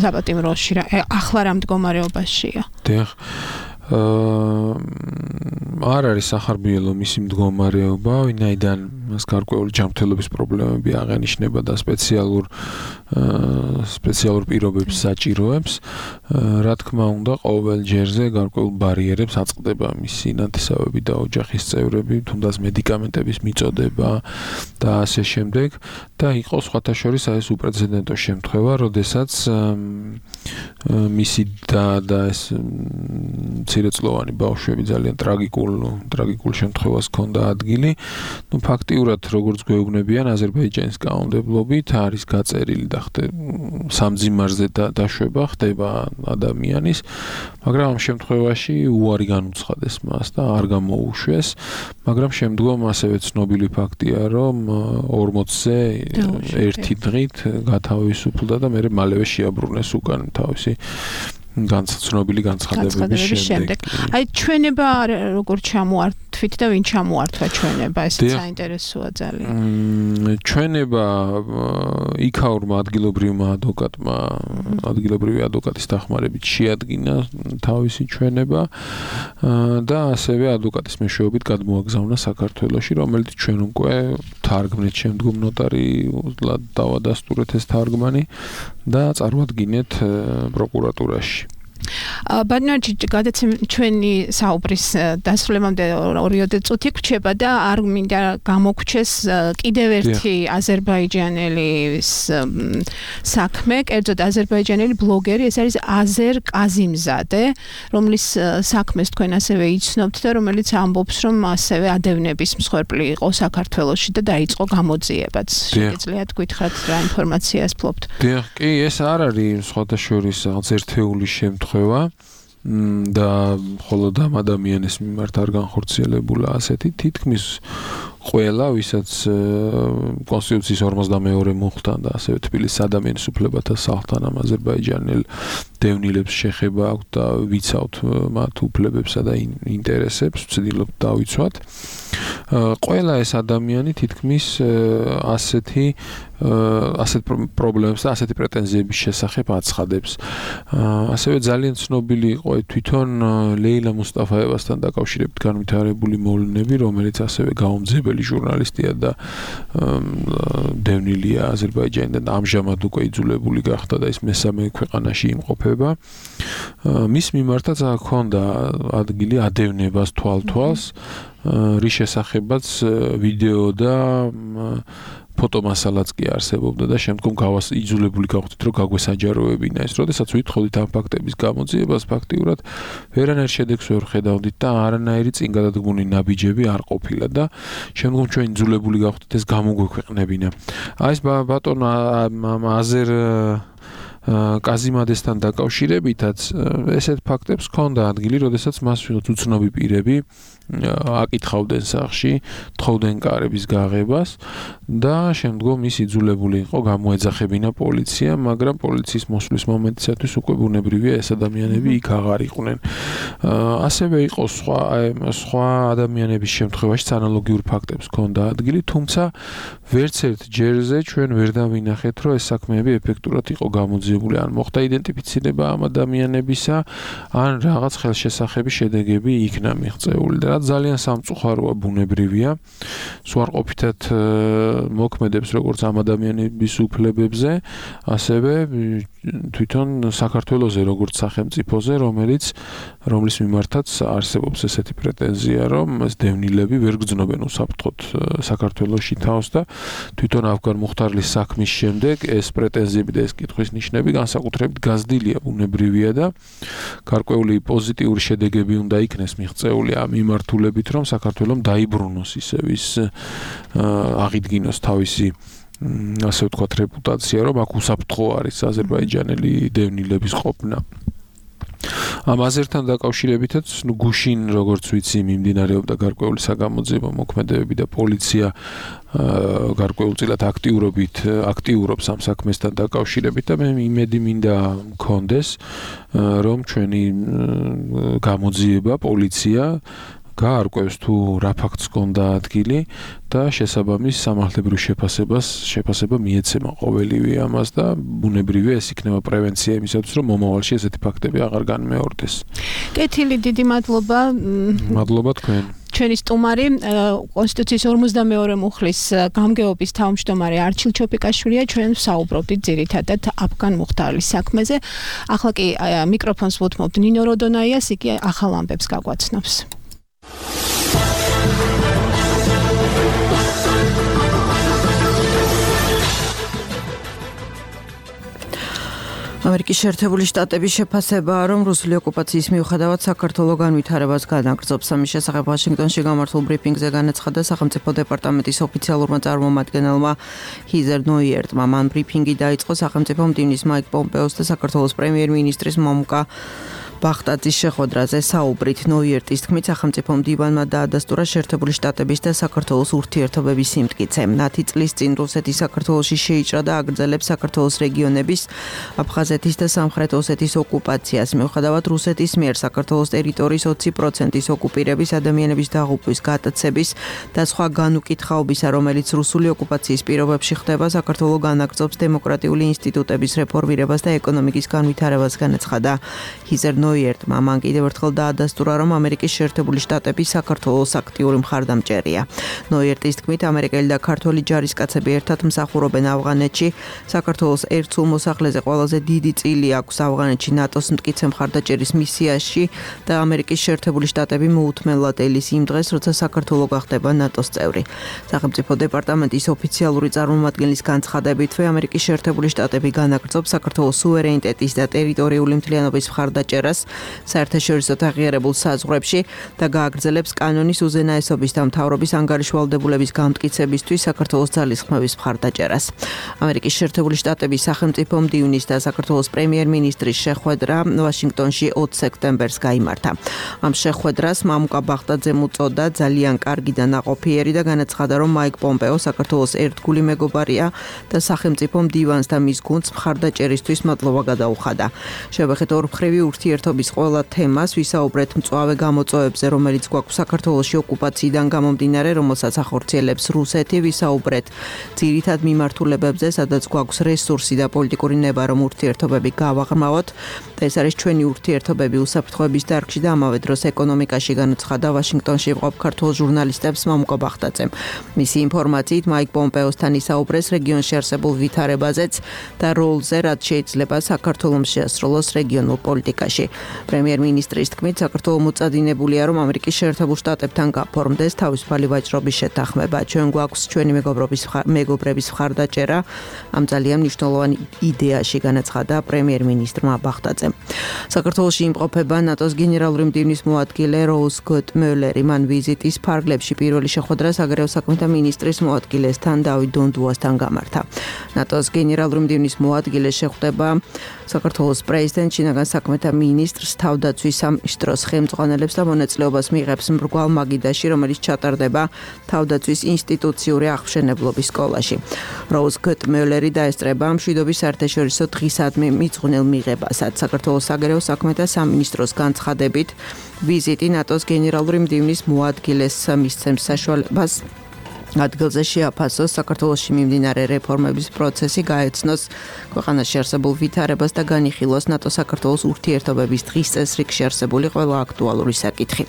საპატიმროში, ახლა რა მდგომარეობაშია? დიახ. არ არის სახარბიელო მისი მდგომარეობა, ვინაიდან მას გარკვეული ჯანმრთელობის პრობლემები აღენიშნება და სპეციალურ სპეციალურ პირობებს საჭიროებს. რა თქმა უნდა, ყოველ ჯერზე გარკვეულ ბარიერებს აწყდება მისი ნათესავები და ოჯახის წევრები, თუნდაც მედიკამენტების მიწოდება და ასე შემდეგ და იყო სხვათა შორის ეს უპრეცედენტო შემთხვევა, როდესაც მისი და და ეს მცირეწლოვანი ბავშვები ძალიან ტრაგიკულ ტრაგიკულ შემთხვევას ჰქონდა ადგილი. ნუ ფაქტიურად როგორც გვეუბნებიან აზერბაიჯანის კანონმდებლობით არის გაწერილი და სამძიმარზე დაშვება ხდება ადამიანის, მაგრამ ამ შემთხვევაში უარი განუცხადეს მას და არ გამოუშვეს, მაგრამ შემდგომ ასევე ცნობილი ფაქტია, რომ ორმოცზე ერთი დღით გათავისუფლდა და მე მალევე შეაბრუნეს უკან თავისი განცნობილი განცხადებების შემდეგ. აი ჩვენება როგორ ჩამოართვით და ვინ ჩამოართვა ჩვენება, ეს საინტერესოა ძალიან. ჩვენება იქაურმა ადგილობრივმა ადვოკატმა, ადგილობრივი ადვოკატის დახმარებით შეადგინა თავისი ჩვენება და ასევე ადვოკატის მეშვეობით გადმოაგზავნა საქართველოში, რომელიც ჩვენ უკვე თარგმნით შემდგომ ნოტარიულად დავადასტურეთ ეს თარგმანი და წარვადგინეთ პროკურატურაში. ბატონო გადაცემ ჩვენი საუბრის დასრულებამდე ორიოდე წუთი გვჩება და არ მინდა გამოგჩეს კიდევ ერთი აზერბაიჯანელის საქმე, კერძოდ აზერბაიჯანელი ბლოგერი, ეს არის აზერ კაზიმზადე, რომლის საქმეს თქვენ ასევე იცნობთ და რომელიც ამბობს, რომ ასევე ადევნების მსხვერპლი იყო საქართველოში და დაიწყო გამოძიებაც. შეგიძლიათ გითხრათ რა ინფორმაციას ფლობთ? დიახ, კი, ეს არ არის სხვათა შორის რაღაც ერთეული შემთხვევა და მხოლოდ ამ ადამიანის მიმართ არ განხორციელებულა ასეთი თითქმის ყველა, ვისაც კონსტიტუციის ორმოცდამეორე მუხლთან და ასევე თბილისის ადამიანის უფლებათა სახლთან ამ აზერბაიჯანელ დევნილებს შეხება აქვს და ვიცავთ მათ უფლებებსა და ინტერესებს, ვცდილობთ დავიცვათ. ყველა ეს ადამიანი თითქმის ასეთი ასეთ პრობლემებს და ასეთი პრეტენზიების შესახებ აცხადებს. ასევე ძალიან ცნობილი იყო თვითონ ლეილა მუსტაფაევასთან დაკავშირებით განვითარებული მოვლენები, რომელიც ასევე გაუმძებელი ჟურნალისტია და დევნილია აზერბაიჯანიდან და ამჟამად უკვე იძულებული გახდა და ის მესამე ქვეყანაში იმყოფება. მის მიმართაც ჰქონდა ადგილი ადევნებას თვალთვალს, რის შესახებაც ვიდეო და ფოტომასალაც კი არსებობდა და შემდგომ გავას იძულებული გავხდით, რომ გაგვესაჯაროებინა ეს. როდესაც ვითხოვდით ამ ფაქტების გამოძიებას, ფაქტიურად ვერანაირ შედეგს ვერ ხედავდით და არანაირი წინგადადგმული ნაბიჯები არ ყოფილა და შემდგომ ჩვენ იძულებული გავხდით ეს გამოგვექვეყნებინა. აი ეს ბატონო აზერ კაზიმადესთან დაკავშირებითაც ესეთ ფაქტებს ჰქონდა ადგილი, როდესაც მას უცნობი პირები აკითხავდნენ სახლში, თხოვდნენ კარების გაღებას და შემდგომ ის იძულებული იყო გამოეძახებინა პოლიცია, მაგრამ პოლიციის მოსვლის მომენტისათვის უკვე ბუნებრივია ეს ადამიანები იქ აღარ იყვნენ. ასევე იყო სხვა სხვა ადამიანების შემთხვევაშიც ანალოგიურ ფაქტებს ჰქონდა ადგილი, თუმცა ვერც ერთ ჯერზე ჩვენ ვერ დავინახეთ, რომ ეს საქმეები ეფექტურად იყო გამოძიებული, ან მოხდა იდენტიფიცირება ამ ადამიანებისა, ან რაღაც ხელშესახები შედეგები იქნა მიღწეული და ძალიან სამწუხაროა, ბუნებრივია. სუარყოფითად მოქმედებს როგორც ამ ადამიანების უფლებებზე, ასევე თვითონ საქართველოზე როგორც სახელმწიფოზე, რომელიც რომლის მიმართაც არსებობს ესეთი პრეტენზია, რომ ეს დევნილები ვერ გრძნობენ უსაფრთხოდ საქართველოში თავს და თვითონ ავგან მუხტარლის საქმის შემდეგ ეს პრეტენზიები და ეს კითხვის ნიშნები განსაკუთრებით გაზრდილია, ბუნებრივია და გარკვეული პოზიტიური შედეგები უნდა იქნეს მიღწეული ამ მიმართულებით, რომ საქართველოს დაიბრუნოს ისევ ის აღიდგინოს თავისი ასე ვთქვათ რეპუტაცია, რომ აქ უსაფრთხო არის აზერბაიჯანელი დევნილების ყოფნა. ამ აზერთან დაკავშირებითაც ნუ გუშინ როგორც ვიცი მიმდინარეობდა გარკვეული საგამოძიებო მოქმედებები და პოლიცია გარკვეულწილად აქტიურობით აქტიურობს ამ საქმესთან დაკავშირებით და მე იმედი მინდა მქონდეს რომ ჩვენი გამოძიება პოლიცია გაარკვევს თუ რა ფაქტს ჰქონდა ადგილი და შესაბამის სამართლებრივ შეფასებას შეფასება მიეცემა ყოველივე ამას და ბუნებრივია ეს იქნება პრევენცია იმისათვის რომ მომავალში ესეთი ფაქტები აღარ განმეორდეს. კეთილი, დიდი მადლობა. მადლობა თქვენ. ჩვენი სტუმარი კონსტიტუციის ორმოცდამეორე მუხლის გამგეობის თავმჯდომარე არჩილ ჩოპიკაშვილია, ჩვენ ვსაუბრობდით ძირითადად აფგან მუხტარლის საქმეზე. ახლა კი მიკროფონს ვუთმობთ ნინო როდონაიას, იგი ახალ ამბებს გაგვაცნობს. ამერიკის შეერთებული შტატების შეფასებაა, რომ რუსული ოკუპაციის მიუხედავად საქართველოს განვითარებას განაგრძობს. ამის შესახებ ვაშინგტონში გამართულ ბრიფინგზე განაცხადა სახელმწიფო დეპარტამენტის ოფიციალურმა წარმომადგენელმა ჰიზერ ნოიერტმა. მან ბრიფინგი დაიწყო სახელმწიფო მდივნის მაიკ პომპეოს და საქართველოს პრემიერ-მინისტრის მომუკა ბახტაძის შეხვედრაზე საუბრით. ნოიერტის თქმით, სახელმწიფო მდივანმა დაადასტურა შეერთებული შტატების და საქართველოს ურთიერთობების სიმტკიცე. ნათი წლის წინ რუსეთი საქართველოში შეიჭრა და აგრძელებს საქართველოს რეგიონების აფხაზეთის და სამხრეთ ოსეთის ოკუპაციას. მიუხედავად რუსეთის მიერ საქართველოს ტერიტორიის ოცი პროცენტის ოკუპირების, ადამიანების დაღუპვის, გატაცების და სხვა განუკითხაობისა, რომელიც რუსული ოკუპაციის პირობებში ხდება, საქართველოს განაგრძობს დემოკრატიული ინსტიტუტების რეფორმირებას და ეკონომიკის განვითარებას, განაცხადა ჰიზერ ნოიერტმა. მან კიდევ ერთხელ დაადასტურა, რომ ამერიკის შეერთებული შტატები საქართველოს აქტიური მხარდამჭერია. ნოიერტის თქმით, ამერიკელი და ქართველი ჯარისკაცები ერთად მსახურობენ ავღანეთში. საქართველოს ერთ სულ მოსახლეზე ყველაზე დიდი წილი აქვს ავღანეთში ნატოს მტკიცე მხარდაჭერის მისიაში და ამერიკის შეერთებული შტატები მოუთმენლად ელის იმ დღეს, როცა საქართველოს გახდება ნატოს წევრი. სახელმწიფო დეპარტამენტის ოფიციალური წარმომადგენლის განცხადებითვე, ამერიკის შეერთებული შტატები განაგრძობს საქართველოს სუვერენიტეტის და ტერიტორიული მთლიანობის მხარდაჭერას საერთაშორისო აღიარებულ საზღვრებში და გააგრძელებს კანონის უზენაესობის და მთავრობის ანგარიშვალდებულების გამტკიცებისთვის საქართველოს ძალისხმევის მხარდაჭერას. ამერიკის შეერთებული შტატების სახელმწიფო მდივნის და საქართველოს პრემიერ-მინისტრის შეხვედრა ვაშინგტონში ოცი სექტემბერს გაიმართა. ამ შეხვედრას მამუკა ბახტაძემ უწოდა ძალიან კარგი და ნაყოფიერი და განაცხადა, რომ მაიკ პომპეო საქართველოს ერთგული მეგობარია და სახელმწიფო მდივანს და მის გუნდს მხარდაჭერისთვის მადლობა გადაუხადა. შევეხეთ ორმხრივი ურთიერთობის ყველა თემას, ვისაუბრეთ მწვავე გამოწვევებზე, რომელიც გვაქვს საქართველოში ოკუპაციიდან გამომდინარე, რომელსაც ახორციელებს რუსეთი, ვისაუბრეთ ძირითად მიმართულებებზე, სადაც გვაქვს რესურსი და პოლიტიკური ნება, რომ ურთიერთობები გავაღრმავოთ. ეს არის ჩვენი ურთიერთობები უსაფრთხოების დარგში და ამავე დროს ეკონომიკაში, განაცხადა ვაშინგტონში მყოფ ქართველ ჟურნალისტებს მამუკა ბახტაძემ. მისი ინფორმაციით, მაიკ პომპეოსთან ისაუბრეს რეგიონში არსებულ ვითარებაზეც და როლზე, რაც შეიძლება საქართველოს შეასრულოს რეგიონულ პოლიტიკაში. პრემიერ-მინისტრის თქმით, საქართველოს მოწადინებულია, რომ ამერიკის შეერთებულ შტატებთან გაფორმდეს თავისუფალი ვაჭრობის შეთანხმება. ჩვენ გვაქვს ჩვენი მეგობრობის მეგობრების მხარდაჭერა ამ ძალიან მნიშვნელოვანი იდეაში, განაცხადა პრემიერ-მინისტრმა ბახტაძემ. საქართველოში იმყოფება ნატოს გენერალური მდივნის მოადგილე როუზ გოტმეულერი. მან ვიზიტის ფარგლებში პირველი შეხვედრა საგარეო საქმეთა მინისტრის მოადგილესთან დავით დონდუასთან გამართა. ნატოს გენერალური მდივნის მოადგილე შეხვდება საქართველოს პრეზიდენტ, შინაგან საქმეთა მინისტრს, თავდაცვის სამინისტროს ხელმძღვანელებს და მონაწილეობას მიიღებს მრგვალ მაგიდაში, რომელიც ჩატარდება თავდაცვის ინსტიტუციური აღმშენებლობის სკოლაში. როუზ გოტმეულერი დაესწრება მშვიდობის საერთაშორისო დღისადმი მიძღვნილ მიღებასაც. საქართველოს საგარეო საქმეთა სამინისტროს განცხადებით, ვიზიტი ნატოს გენერალური მდივნის მოადგილეს მისცემს საშუალებას ადგილზე შეაფასოს საქართველოში მიმდინარე რეფორმების პროცესი, გაეცნოს ქვეყანაში არსებულ ვითარებას და განიხილოს ნატო-საქართველოს ურთიერთობების დღის წესრიგში არსებული ყველა აქტუალური საკითხი.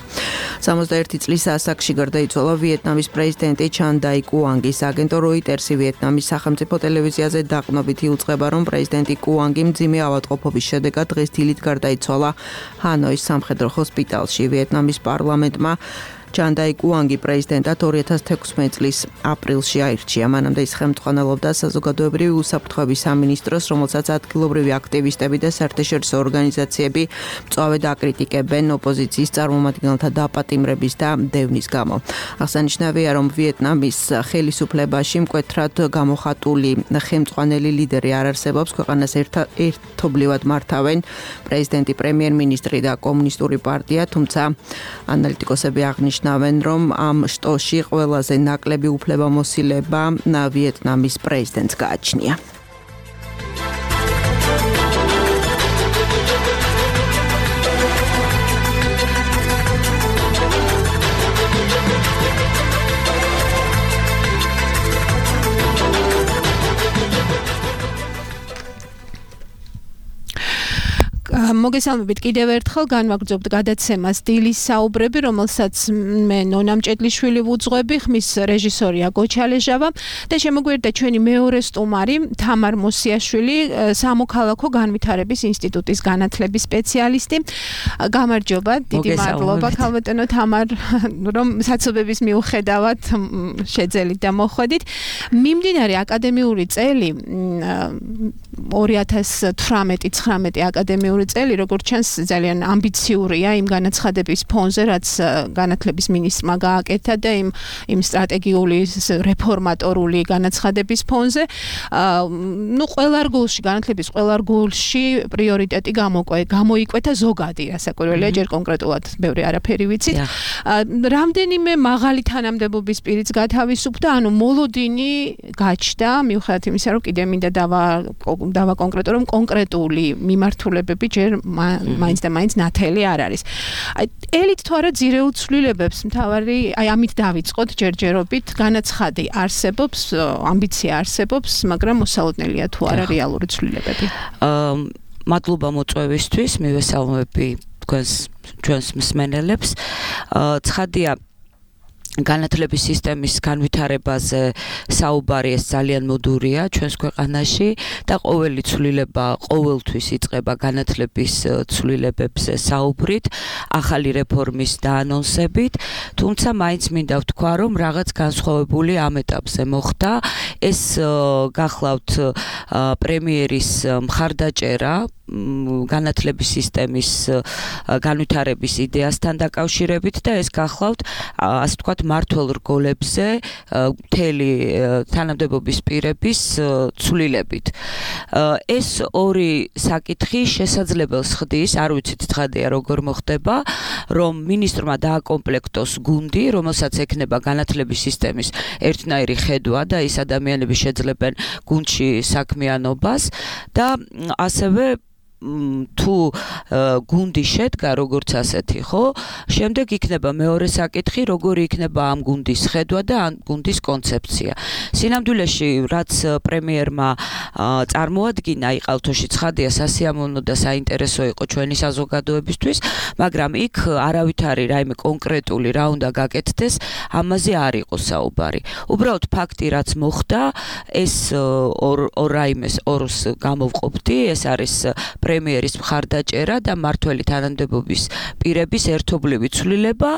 სამოცდაერთი წლის ასაკში გარდაიცვალა ვიეტნამის პრეზიდენტი ჩან დაი კუანგის. აგენტო როიტერსი ვიეტნამის სახელმწიფო ტელევიზიაზე დაყრდნობით იუწყება, რომ პრეზიდენტი კუანგი მძიმე ავადმყოფობის შედეგად დღეს დილით გარდაიცვალა ჰანოის სამხედრო ჰოსპიტალში. ვიეტნამის პარლამენტმა ჯანდაი კუანგი პრეზიდენტად ორი ათას თექვსმეტი წლის აპრილში აირჩია. მანამდე ის ხელმძღვანელობდა საზოგადოებრივი უსაფრთხოების სამინისტროს, რომელსაც ადგილობრივი აქტივისტები და საერთაშორისო ორგანიზაციები მწვავედ აკრიტიკებენ ოპოზიციის წარმომადგენელთა დაპატიმრების და დევნის გამო. აღსანიშნავია, რომ ვიეტნამის ხელისუფლებაში მკვეთრად გამოხატული ხელმძღვანელი ლიდერი არ არსებობს, ქვეყანას ერთობლივად მართავენ პრეზიდენტი, პრემიერ-მინისტრი და კომუნისტური პარტია, თუმცა ანალიტიკოსები აღნიშნავენ, რომ ამ შტოში ყველაზე ნაკლები უფლებამოსილება ვიეტნამის პრეზიდენტს გააჩნია. მოგესალმებით კიდევ ერთხელ განვაგრძობთ გადაცემას დილის საუბრები, რომელსაც მე ნონამ ჭედლიშვილი ვუძღვები, ხმის რეჟისორია გოჩალეჟავა და შემოგვიერთდა ჩვენი მეორე სტუმარი თამარ მოსიაშვილი, სამოქალაქო განვითარების ინსტიტუტის განათლების სპეციალისტი. გამარჯობა, დიდი მადლობა ქალბატონო თამარ, რომ საცობების მიუხედავად შეძელით და მოხვედით. მიმდინარე აკადემიური წელი ორი ათას თვრამეტი ცხრამეტი აკადემიური წელი, როგორც ჩანს, ძალიან ამბიციურია იმ განაცხადების ფონზე, რაც განათლების მინისტრმა გააკეთა და იმ იმ სტრატეგიული რეფორმატორული განაცხადების ფონზე. ნუ ყველა რგოლში, განათლების ყველა რგოლში პრიორიტეტი გამოიკვეთა ზოგადი, რასაკვირველია, ჯერ კონკრეტულად ბევრი არაფერი ვიცით. რამდენიმე მაღალი თანამდებობის პირიც გათავისუფლდა, ანუ მოლოდინი გაჩნდა, მიუხედავად იმისა, რომ კიდე მინდა დავა დავაკონკრეტო, რომ კონკრეტული მიმართულებები ჯერ მაინც და მაინც ნათელი არ არის. აი ელით თუ არა ძირეულ ცვლილებებს მთავარი, აი ამით დავიწყოთ ჯერჯერობით, განაცხადი არსებობს, ამბიცია არსებობს, მაგრამ მოსალოდნელია თუ არა რეალური ცვლილებები. აა მადლობა მოწვევისთვის, მივესალმები თქვენს ჩვენს მსმენელებს. აა ცხადია განათლების სისტემის განვითარებაზე საუბარი ეს ძალიან მოდურია ჩვენს ქვეყანაში და ყოველი ცვლილება ყოველთვის იწყება განათლების ცვლილებებზე საუბრით, ახალი რეფორმის დაანონსებით, თუმცა მაინც მინდა ვთქვა, რომ რაღაც განსხვავებული ამ ეტაპზე მოხდა. ეს გახლავთ პრემიერის მხარდაჭერა განათლების სისტემის განვითარების იდეასთან დაკავშირებით და ეს გახლავთ, ასე ვთქვათ, მართულ რგოლებზე მთელი თანამდებობის პირების ცვლილებით. ეს ორი საკითხი შესაძლებელს ხდის, არ ვიცით ცხადია როგორ მოხდება, რომ მინისტრმა დააკომპლექტოს გუნდი, რომელსაც ექნება განათლების სისტემის ერთნაირი ხედვა და ის ადამიანები შეძლებენ გუნდში საქმიანობას და ასევე თუ გუნდი შედგა როგორც ასეთი, ხო? შემდეგ იქნება მეორე საკითხი, როგორი იქნება ამ გუნდის ხედვა და ამ გუნდის კონცეფცია. სინამდვილეში, რაც პრემიერმა წარმოადგინა, იყალთოში ცხადია, სასიამოვნო და საინტერესო იყო ჩვენი საზოგადოებისთვის, მაგრამ იქ არავითარი რაიმე კონკრეტული რა უნდა გაკეთდეს, ამაზე არ იყო საუბარი. უბრალოდ ფაქტი, რაც მოხდა, ეს ორ ორ რაიმეს ორს გამოვყოფდი, ეს არის პრემიერის მხარდაჭერა და მართველი თანამდებობის პირების ერთობლივი ცვლილება.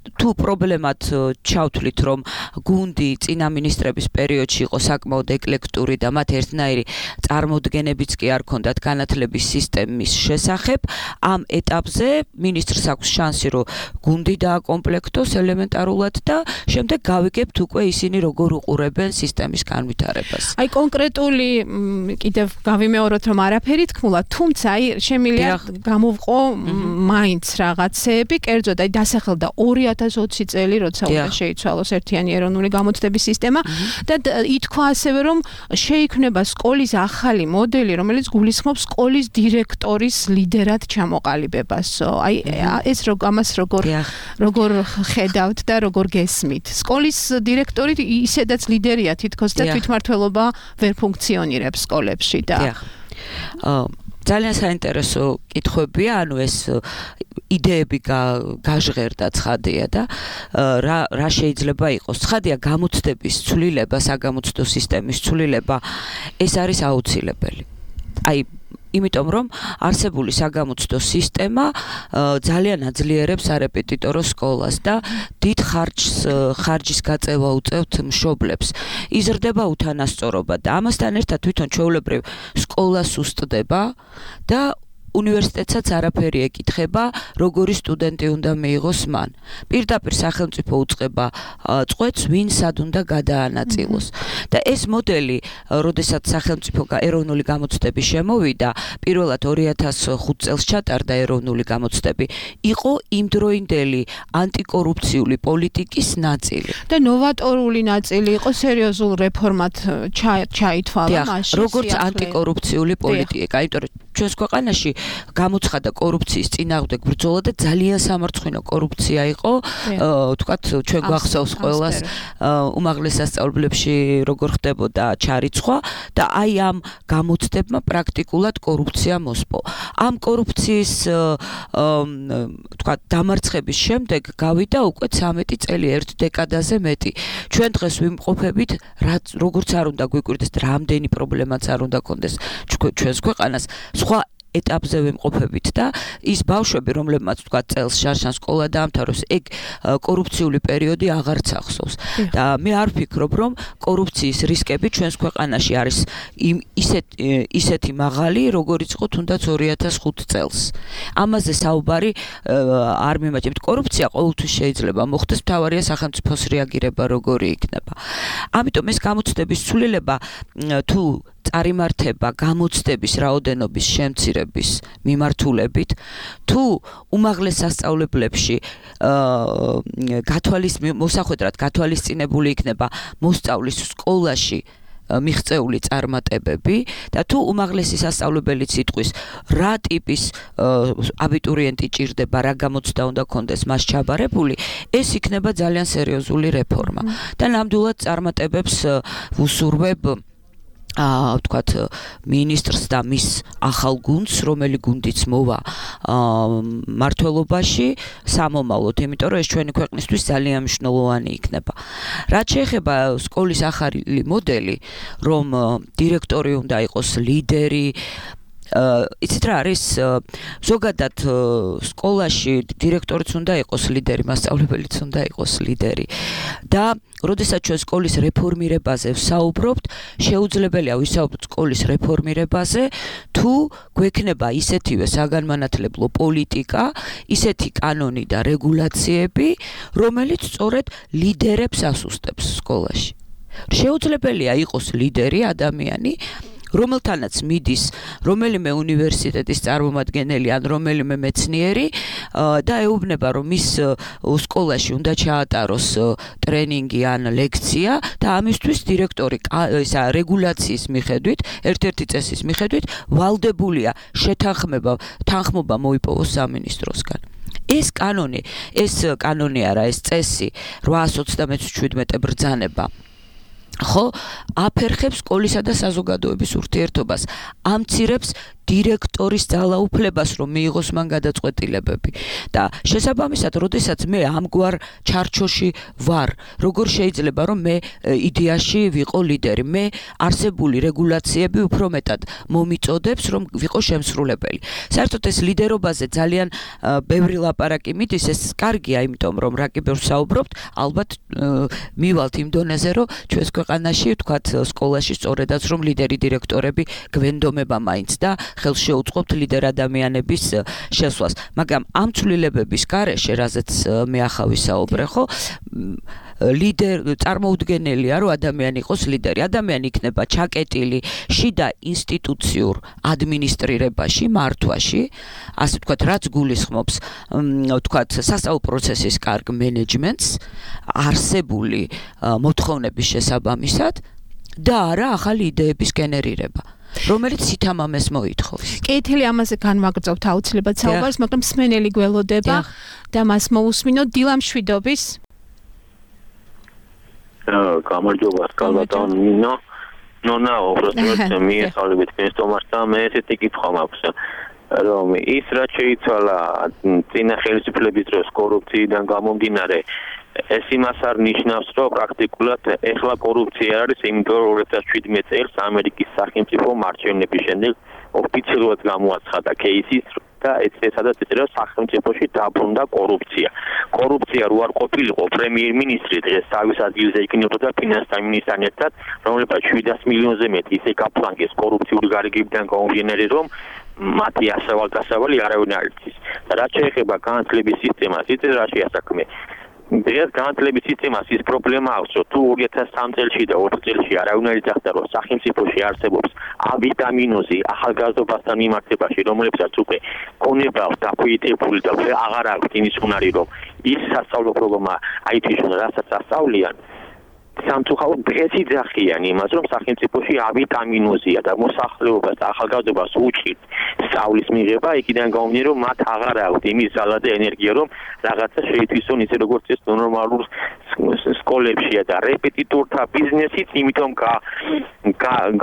თუ პრობლემად ჩავთვლით, რომ გუნდი წინა მინისტრების პერიოდში იყო საკმაოდ ეკლექტური და მათ ერთნაირი წარმოდგენებიც კი არ ჰქონდათ განათლების სისტემის შესახებ, ამ ეტაპზე მინისტრს აქვს შანსი, რომ გუნდი დააკომპლექტოს ელემენტარულად და შემდეგ გავიგებთ უკვე ისინი როგორ უყურებენ სისტემის განვითარებას. აი კონკრეტული კიდევ გავიმეოროთ, რომ არაფერი თქმულა, თუმცა აი შემიძლია გამოვყო მაინც რაღაცეები, კერძოდ აი დასახელდა ორი ათას ოცი წელი, როცა უნდა შეიცვალოს ერთიანი ეროვნული გამოცდების სისტემა და ითქვა ასევე, რომ შეიქმნება სკოლის ახალი მოდელი, რომელიც გულისხმობს სკოლის დირექტორის ლიდერად ჩამოყალიბებას. აი ეს რო ამას როგორ როგორ ხედავთ და როგორ გესმით? სკოლის დირექტორი ისედაც ლიდერია თითქოს და თვითმმართველობა ვერ ფუნქციონირებს სკოლებში და ძალიან საინტერესო კითხვებია, ანუ ეს იდეები გაჟღერდა ცხადია და რა რა შეიძლება იყოს. ცხადია გამოცდების ცვლილება, საგამოცდო სისტემის ცვლილება, ეს არის აუცილებელი. აი იმიტომ რომ არსებული საგამოცდო სისტემა ძალიან აძლიერებს არეპეტიტორო სკოლას და დიდ ხარჯს ხარჯის გაწევა უწევთ მშობლებს. იზრდება უთანასწორობა და ამასთან ერთად თვითონ ჩვეულებრივ სკოლა სუსტდება და უნივერსიტეტსაც არაფერი ეკითხება, როგორი სტუდენტი უნდა მიიღოს მან. პირდაპირ სახელმწიფო უწყება წყვეტს, ვინ სად უნდა გადაანაწილოს. და ეს მოდელი, როდესაც სახელმწიფო ეროვნული გამოცდები შემოვიდა, პირველად ორი ათას ხუთ წელს ჩატარდა ეროვნული გამოცდები, იყო იმდროინდელი ანტიკორუფციული პოლიტიკის ნაწილი. და ნოვატორული ნაწილი იყო სერიოზულ რეფორმად ჩაითვალა მაშინ. როგორც ანტიკორუფციული პოლიტიკა, იმიტომ რომ ჩვენს ქვეყანაში გამოცხადა კორუფციის წინააღმდეგ ბრძოლა და ძალიან სამარცხვინო კორუფცია იყო, თქვათ ჩვენ გვახსოვს ყველას უმაღლეს სასწავლებლებში როგორ ხდებოდა ჩარიცხვა და აი ამ გამოცდებმა პრაქტიკულად კორუფცია მოსპო. ამ კორუფციის თქვათ დამარცხების შემდეგ გავიდა უკვე ცამეტი წელი, ერთ დეკადაზე მეტი. ჩვენ დღეს ვიმყოფებით, როგორც არ უნდა გვიკვირდეს, რამდენი პრობლემაც არ უნდა კონდეს ჩვენს ქვეყანას. სხვა ეტაპზე ვიმყოფებით და ის ბავშვები, რომლებმაც თქვა წელს შარშან სკოლა დაამთავროს, ეგ კორუფციული პერიოდი აღარც ახსოვს. და მე არ ვფიქრობ, რომ კორუფციის რისკები ჩვენს ქვეყანაში არის ისეთ ისეთი მაღალი, როგორიც იყო თუნდაც ორი ათას ხუთ წელს. ამაზე საუბარი არ მიმაჩნევთ. კორუფცია ყოველთვის შეიძლება მოხდეს, მთავარია სახელმწიფოს რეაგირება როგორი იქნება. ამიტომ ეს გამოცდების ცვლილება თუ წარიმართება გამოცდების რაოდენობის შემცირების მიმართულებით, თუ უმაღლეს სასწავლებლებში გათვალის მოსახვედრად გათვალისწინებული იქნება მოსწავლის სკოლაში მიღწეული წარმატებები და თუ უმაღლესი სასწავლებელი იტყვის რა ტიპის აბიტურიენტი ჭირდება, რა გამოცდა უნდა კონდეს მას ჩაბარებული, ეს იქნება ძალიან სერიოზული რეფორმა. და ნამდვილად წარმატებებს ვუსურვებ აა ვთქვათ მინისტრს და მის ახალ გუნდს, რომელი გუნდიც მოვა მართლობაში სამომავლოდ, იმიტომ რომ ეს ჩვენი ქვეყნისთვის ძალიან მნიშვნელოვანი იქნება. რაც შეეხება სკოლის ახალი მოდელი, რომ დირექტორი უნდა იყოს ლიდერი, იცით რა არის, ზოგადად სკოლაში დირექტორიც უნდა იყოს ლიდერი, მასწავლებელიც უნდა იყოს ლიდერი. და როდესაც ჩვენ სკოლის რეფორმირებაზე ვსაუბრობთ, შეუძლებელია ვისაუბროთ სკოლის რეფორმირებაზე, თუ გვექნება ისეთივე საგანმანათლებლო პოლიტიკა, ისეთი კანონი და რეგულაციები, რომელიც სწორედ ლიდერებს ასუსტებს სკოლაში. შეუძლებელია იყოს ლიდერი ადამიანი, რომელთანაც მიდის რომელიმე უნივერსიტეტის წარმომადგენელი ან რომელიმე მეცნიერი და ეუბნება, რომ მის სკოლაში უნდა ჩაატაროს ტრენინგი ან ლექცია და ამისთვის დირექტორი ისა რეგულაციის მიხედვით, ერთ-ერთი წესის მიხედვით ვალდებულია შეთანხმება, თანხმობა მოიპოვოს სამინისტროსგან. ეს კანონი, ეს კანონი არა, ეს წესი რვაას ოცდამეცი ბრძანება ხო აფერხებს სკოლისა და საზოგადოების ურთიერთობას, ამცირებს დირექტორის ძალაუფლებას, რომ მიიღოს მან გადაწყვეტილებები. და შესაბამისად, როდესაც მე ამგვარ ჩარჩოში ვარ, როგორ შეიძლება რომ მე იდეაში ვიყო ლიდერი, მე არსებული რეგულაციები უფრო მეტად მომიწოდებს, რომ ვიყო შემსრულებელი. საერთოდ ეს ლიდერობაზე ძალიან ბევრი ლაპარაკი მიდის, ეს კარგია, იმიტომ რომ რა კი ბევრს საუბრობთ, ალბათ მივალთ იმ დონეზე, რომ ჩვენს ქვეყანაში, ვთქვათ, სკოლაში სწორედაც რომ ლიდერი დირექტორები გვენდომება მაინც და ხელს შეუწყობთ ლიდერ ადამიანების შესვლას. მაგრამ ამ ცვლილებების გარეშე, რაზეც მე ახლა ვისაუბრე, ხო, ლიდერ წარმოუდგენელია, რომ ადამიანი იყოს ლიდერი. ადამიანი იქნება ჩაკეტილი შიდა ინსტიტუციურ ადმინისტრირებაში, მართვაში, ასე ვთქვათ, რაც გულისხმობს, ვთქვათ, სასწავლო პროცესის კარგ მენეჯმენტს, არსებული მოთხოვნების შესაბამისად და არა ახალი იდეების გენერირება, რომელიც სითამამეს მოითხოვს. კეთილი, ამაზე განვაგრძობთ აუცილებლად საუბარს, მაგრამ მსმენელი გველოდება და მას მოусმინოთ. დილა მშვიდობის. გამარჯობა, სკალბატონ ნინო. ნონა, უბრალოდ მიესალმებით მესტომარსა, მე ესეთი კითხვა მაქვს, რომ ის რაც შეიცვალა წინა ხელისუფლების დროს კორუფციიდან გამომდინარე, ეს იმას არ ნიშნავს, რომ პრაქტიკულად ეხლა კორუფცია არის, იმიტომ რომ ორი ათას შვიდმეტ წელს ამერიკის სახელმწიფო მარჩევნების შემდეგ ოფიციალურად გამოაცხადა кейსის და ეცადაც ეწერა სახელმწიფოში დაბრუნდა კორუფცია. კორუფცია რო არ ყოფილიყო პრემიერ-მინისტრი დღეს თავის ადგილზე იქნებოდა ფინანსთა მინისტრთან ერთად, რომელსაც შვიდას მილიონზე მეტი ისე გაფლანგეს კორუფციული გარიგებიდან გამომდინარე, რომ მათი ასავალ-დასავალი არავინ არ იცის. და რაც შეეხება განათლების სისტემას, იცით რა შეასაქმე. დღეს განათლების სისტემას ის პრობლემა აქვს, რომ თუ ორი ათას სამი წელში და ოთხ წელში არავინ არ იცახდა, რომ სახელმწიფოში არსებობს ავიტამინოზი ახალგაზრდობასთან მიმართებაში, რომლებსაც უკვე ქონება აქვს დაფუძნებული და აღარ აქვს იმის უნარი, რომ ის სასწავლო პროგრამა აითიშონ, რასაც ასწავლიან. სამწუხაროდ დღესი ძახიან იმას, რომ სახელმწიფოში ავიტამინოზია და მოსახლეობას და ახალგაზრდობას უჭირთ სწავლის მიღება, იქიდან გამომდინარე, რომ მათ აღარ აქვს იმის ძალა და ენერგია, რომ რაღაცა შეითვისონ ისე როგორც ეს ნორმალურ სკოლებშია და რეპეტიტორთა ბიზნესიც, იმიტომ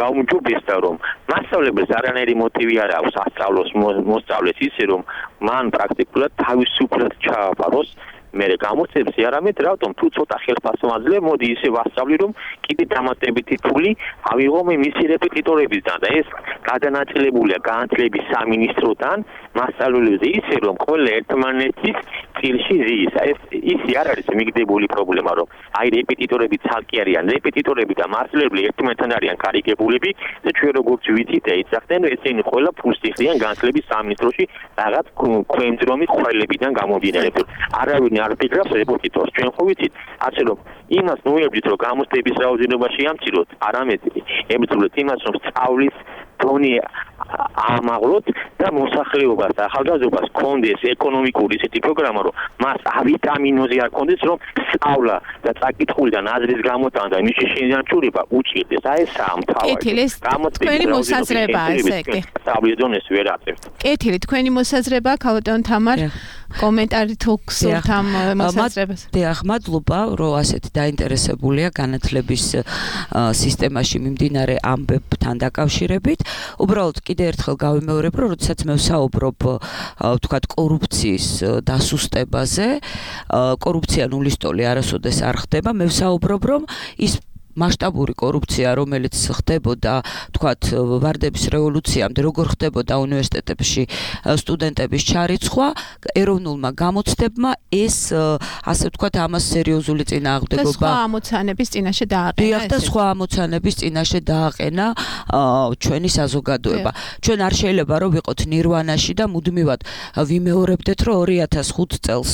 გაუმჯობესდა, რომ მასწავლებელს არანაირი მოტივი არ აქვს ასწავლოს მოსწავლეს ისე, რომ მან პრაქტიკულად თავისუფლად ჩააბაროს მე გამოცემს არამედ რატომ თუ ცოტა ხელფასმაძლე მოდი ისე ვასწავლი რომ კიდე დამატებითი ფული ავიღო მე მისი რეპეტიტორებისგან და ეს გადანაწილებულია განათლების სამინისტროდან მასწავლებლებზე ისე რომ ყველა ერთმანეთის წილში ზის ეს ისი არ არის მიგდებული პრობლემა რომ აი რეპეტიტორები ცალკე არიან რეპეტიტორები და მასწავლებლები ერთმანეთთან არიან გარიგებულები და ჩვენ როგორც ვიცით ეცახდნენ ესენი ყველა ფულს იხდიან განათლების სამინისტროში რაღაც ქვემძრომი ხვალებიდან გამომდინარე არავინ არ ფიქრობს რეპეტიტორს ჩვენ ხო ვიცით ასე რომ იმას ნუებდით რომ გამოცდების რაოდენობაში ამციროთ არამედ ემწროთ იმას რომ სწავლის თონი ამაღლოთ და მოსახლეობას და ახალგაზრდობას კონდეს ეკონომიკური ისეთი პროგრამა რომ მას ავიტამინოზი არ კონდეს რომ სწავლა და წაკითხულიდან აზრის გამოტანა და მისი შენანჩურება უჭირდეს აი ეს ამთავრებს თქვენი მოსაზრებაა ესე კი სწავლის დონეს ვერ აწევთ კეთილი თქვენი მოსაზრებაა ქალბატონ თამარ კომენტარი თუ გსურთ ამ მოსაზრებას დიახ მადლობა რომ ასეთი დაინტერესებულია განათლების სისტემაში მიმდინარე ამბებთან დაკავშირებით უბრალოდ კიდე ერთხელ გავიმეორებ რომ როდესაც მე ვსაუბრობ ვთქვათ კორუფციის დასუსტებაზე კორუფცია ნულის ტოლი არასოდეს არ ხდება მე ვსაუბრობ რომ ის მასშტაბური კორუფცია, რომელიც ხდებოდა, თქვათ, ვარდების რევოლუციამდე, როგორ ხდებოდა უნივერსიტეტებში სტუდენტების ჩარიცხვა, ეროვნულმა გამოცდებმა ეს, ასე ვთქვათ, ამას სერიოზული წინააღმდეგობა. და სხვა ამოცანების წინაშე დააყენა. დიახ, და სხვა ამოცანების წინაშე დააყენა ჩვენი საზოგადოება. ჩვენ არ შეიძლება რომ ვიყოთ ნირვანაში და მუდმივად ვიმეორებდეთ, რომ ორი ათას ხუთი წელს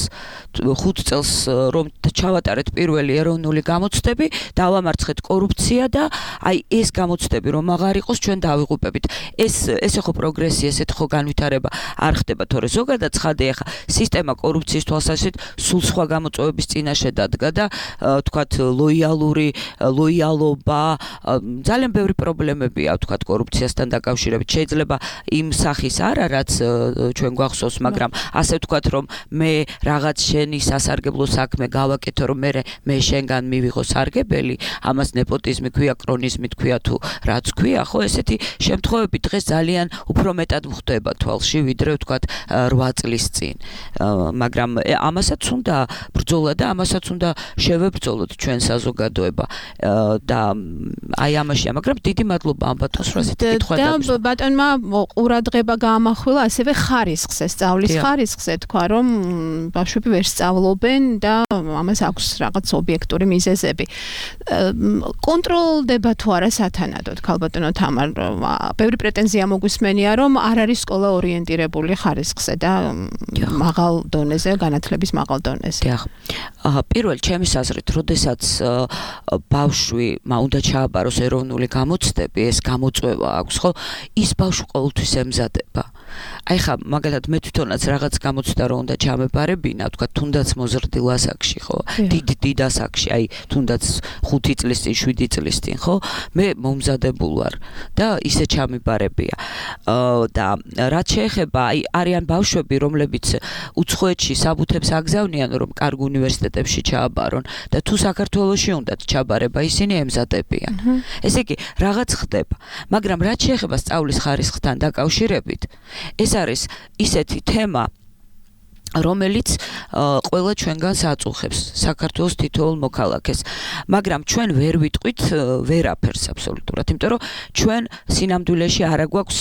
ხუთ წელს რომ ჩავატარეთ პირველი ეროვნული გამოცდები, დავამარცხეთ კორუფცია და აი ეს გამოცდები რომ აღარ იყოს ჩვენ დავიღუპებით. ეს ესე ხო პროგრესი, ესეთ ხო განვითარება არ ხდება, თორე ზოგადად ცხადია ახლა სისტემა კორუფციის თვალსაზრისით სულ სხვა გამოწვევების წინაშე დადგა და თქვათ ლოიალური ლოიალობა ძალიან ბევრი პრობლემებია თქვათ კორუფციასთან დაკავშირებით. შეიძლება იმ სახის არა რაც ჩვენ გვახსოვს, მაგრამ ასე ვთქვათ რომ მე რაღაც შენი სასარგებლო საქმე გავაკეთო რომ მე მე შენგან მივიღო სარგებელი ამას ნეპოტიზმი ქვია, კრონიზმი ქვია თუ რაც ქვია, ხო, ესეთი შემთხვევები დღეს ძალიან უფრო მეტად გვხდება თვალში, ვიდრე ვთქვათ რვა წლის წინ. მაგრამ ამასაც უნდა ბრძოლა და ამასაც უნდა შევებრძოლოთ ჩვენ საზოგადოება და აი ამაშია, მაგრამ დიდი მადლობა ამ ბატონს რომ ასეთი კითხვა და ბატონმა ყურადღება გაამახვილა ასევე ხარისხზე, სწავლის ხარისხზე თქვა, რომ ბავშვები ვერ სწავლობენ და ამას აქვს რაღაც ობიექტური მიზეზები. კონტროლდება თუ არა სათანადოდ ქალბატონო თამარ ბევრი პრეტენზია მოგვისმენია რომ არ არის სკოლა ორიენტირებული ხარისხზე და მაღალ დონეზე განათლების მაღალ დონეზე. დიახ. პირველ ჩემის აზრით, როდესაც ბავშვი უნდა ჩააბაროს ეროვნული გამოცდები, ეს გამოწვევა აქვს, ხო? ის ბავშვი ყოველთვის ემზადება. აი ხა მაგალითად მე თვითონაც რაღაც გამოცდა რომ უნდა ჩამებარებინა, თქვა თუნდაც მოზრდილ ასაკში, ხო? დიდ დიდ ასაკში, აი თუნდაც ხუთი წლის წინ, შვიდი წლის წინ, ხო? მე მომზადებულ ვარ და ისე ჩამიბარებია. და რაც შეეხება, აი არიან ბავშვები, რომლებიც უცხოეთში საბუთებს აგზავნიან, რომ კარგ უნივერსიტეტებში ჩააბარონ და თუ საქართველოში უნდათ ჩაბარება, ისინი ემზადებიან. ესე იგი, რაღაც ხდება, მაგრამ რაც შეეხება სწავლის ხარისხთან დაკავშირებით, ეს არის ისეთი თემა, რომელიც ყველა ჩვენგანს აწუხებს საქართველოს თითოეულ მოქალაქეს, მაგრამ ჩვენ ვერ ვიტყვით ვერაფერს აბსოლუტურად, იმიტომ რომ ჩვენ სინამდვილეში არა გვაქვს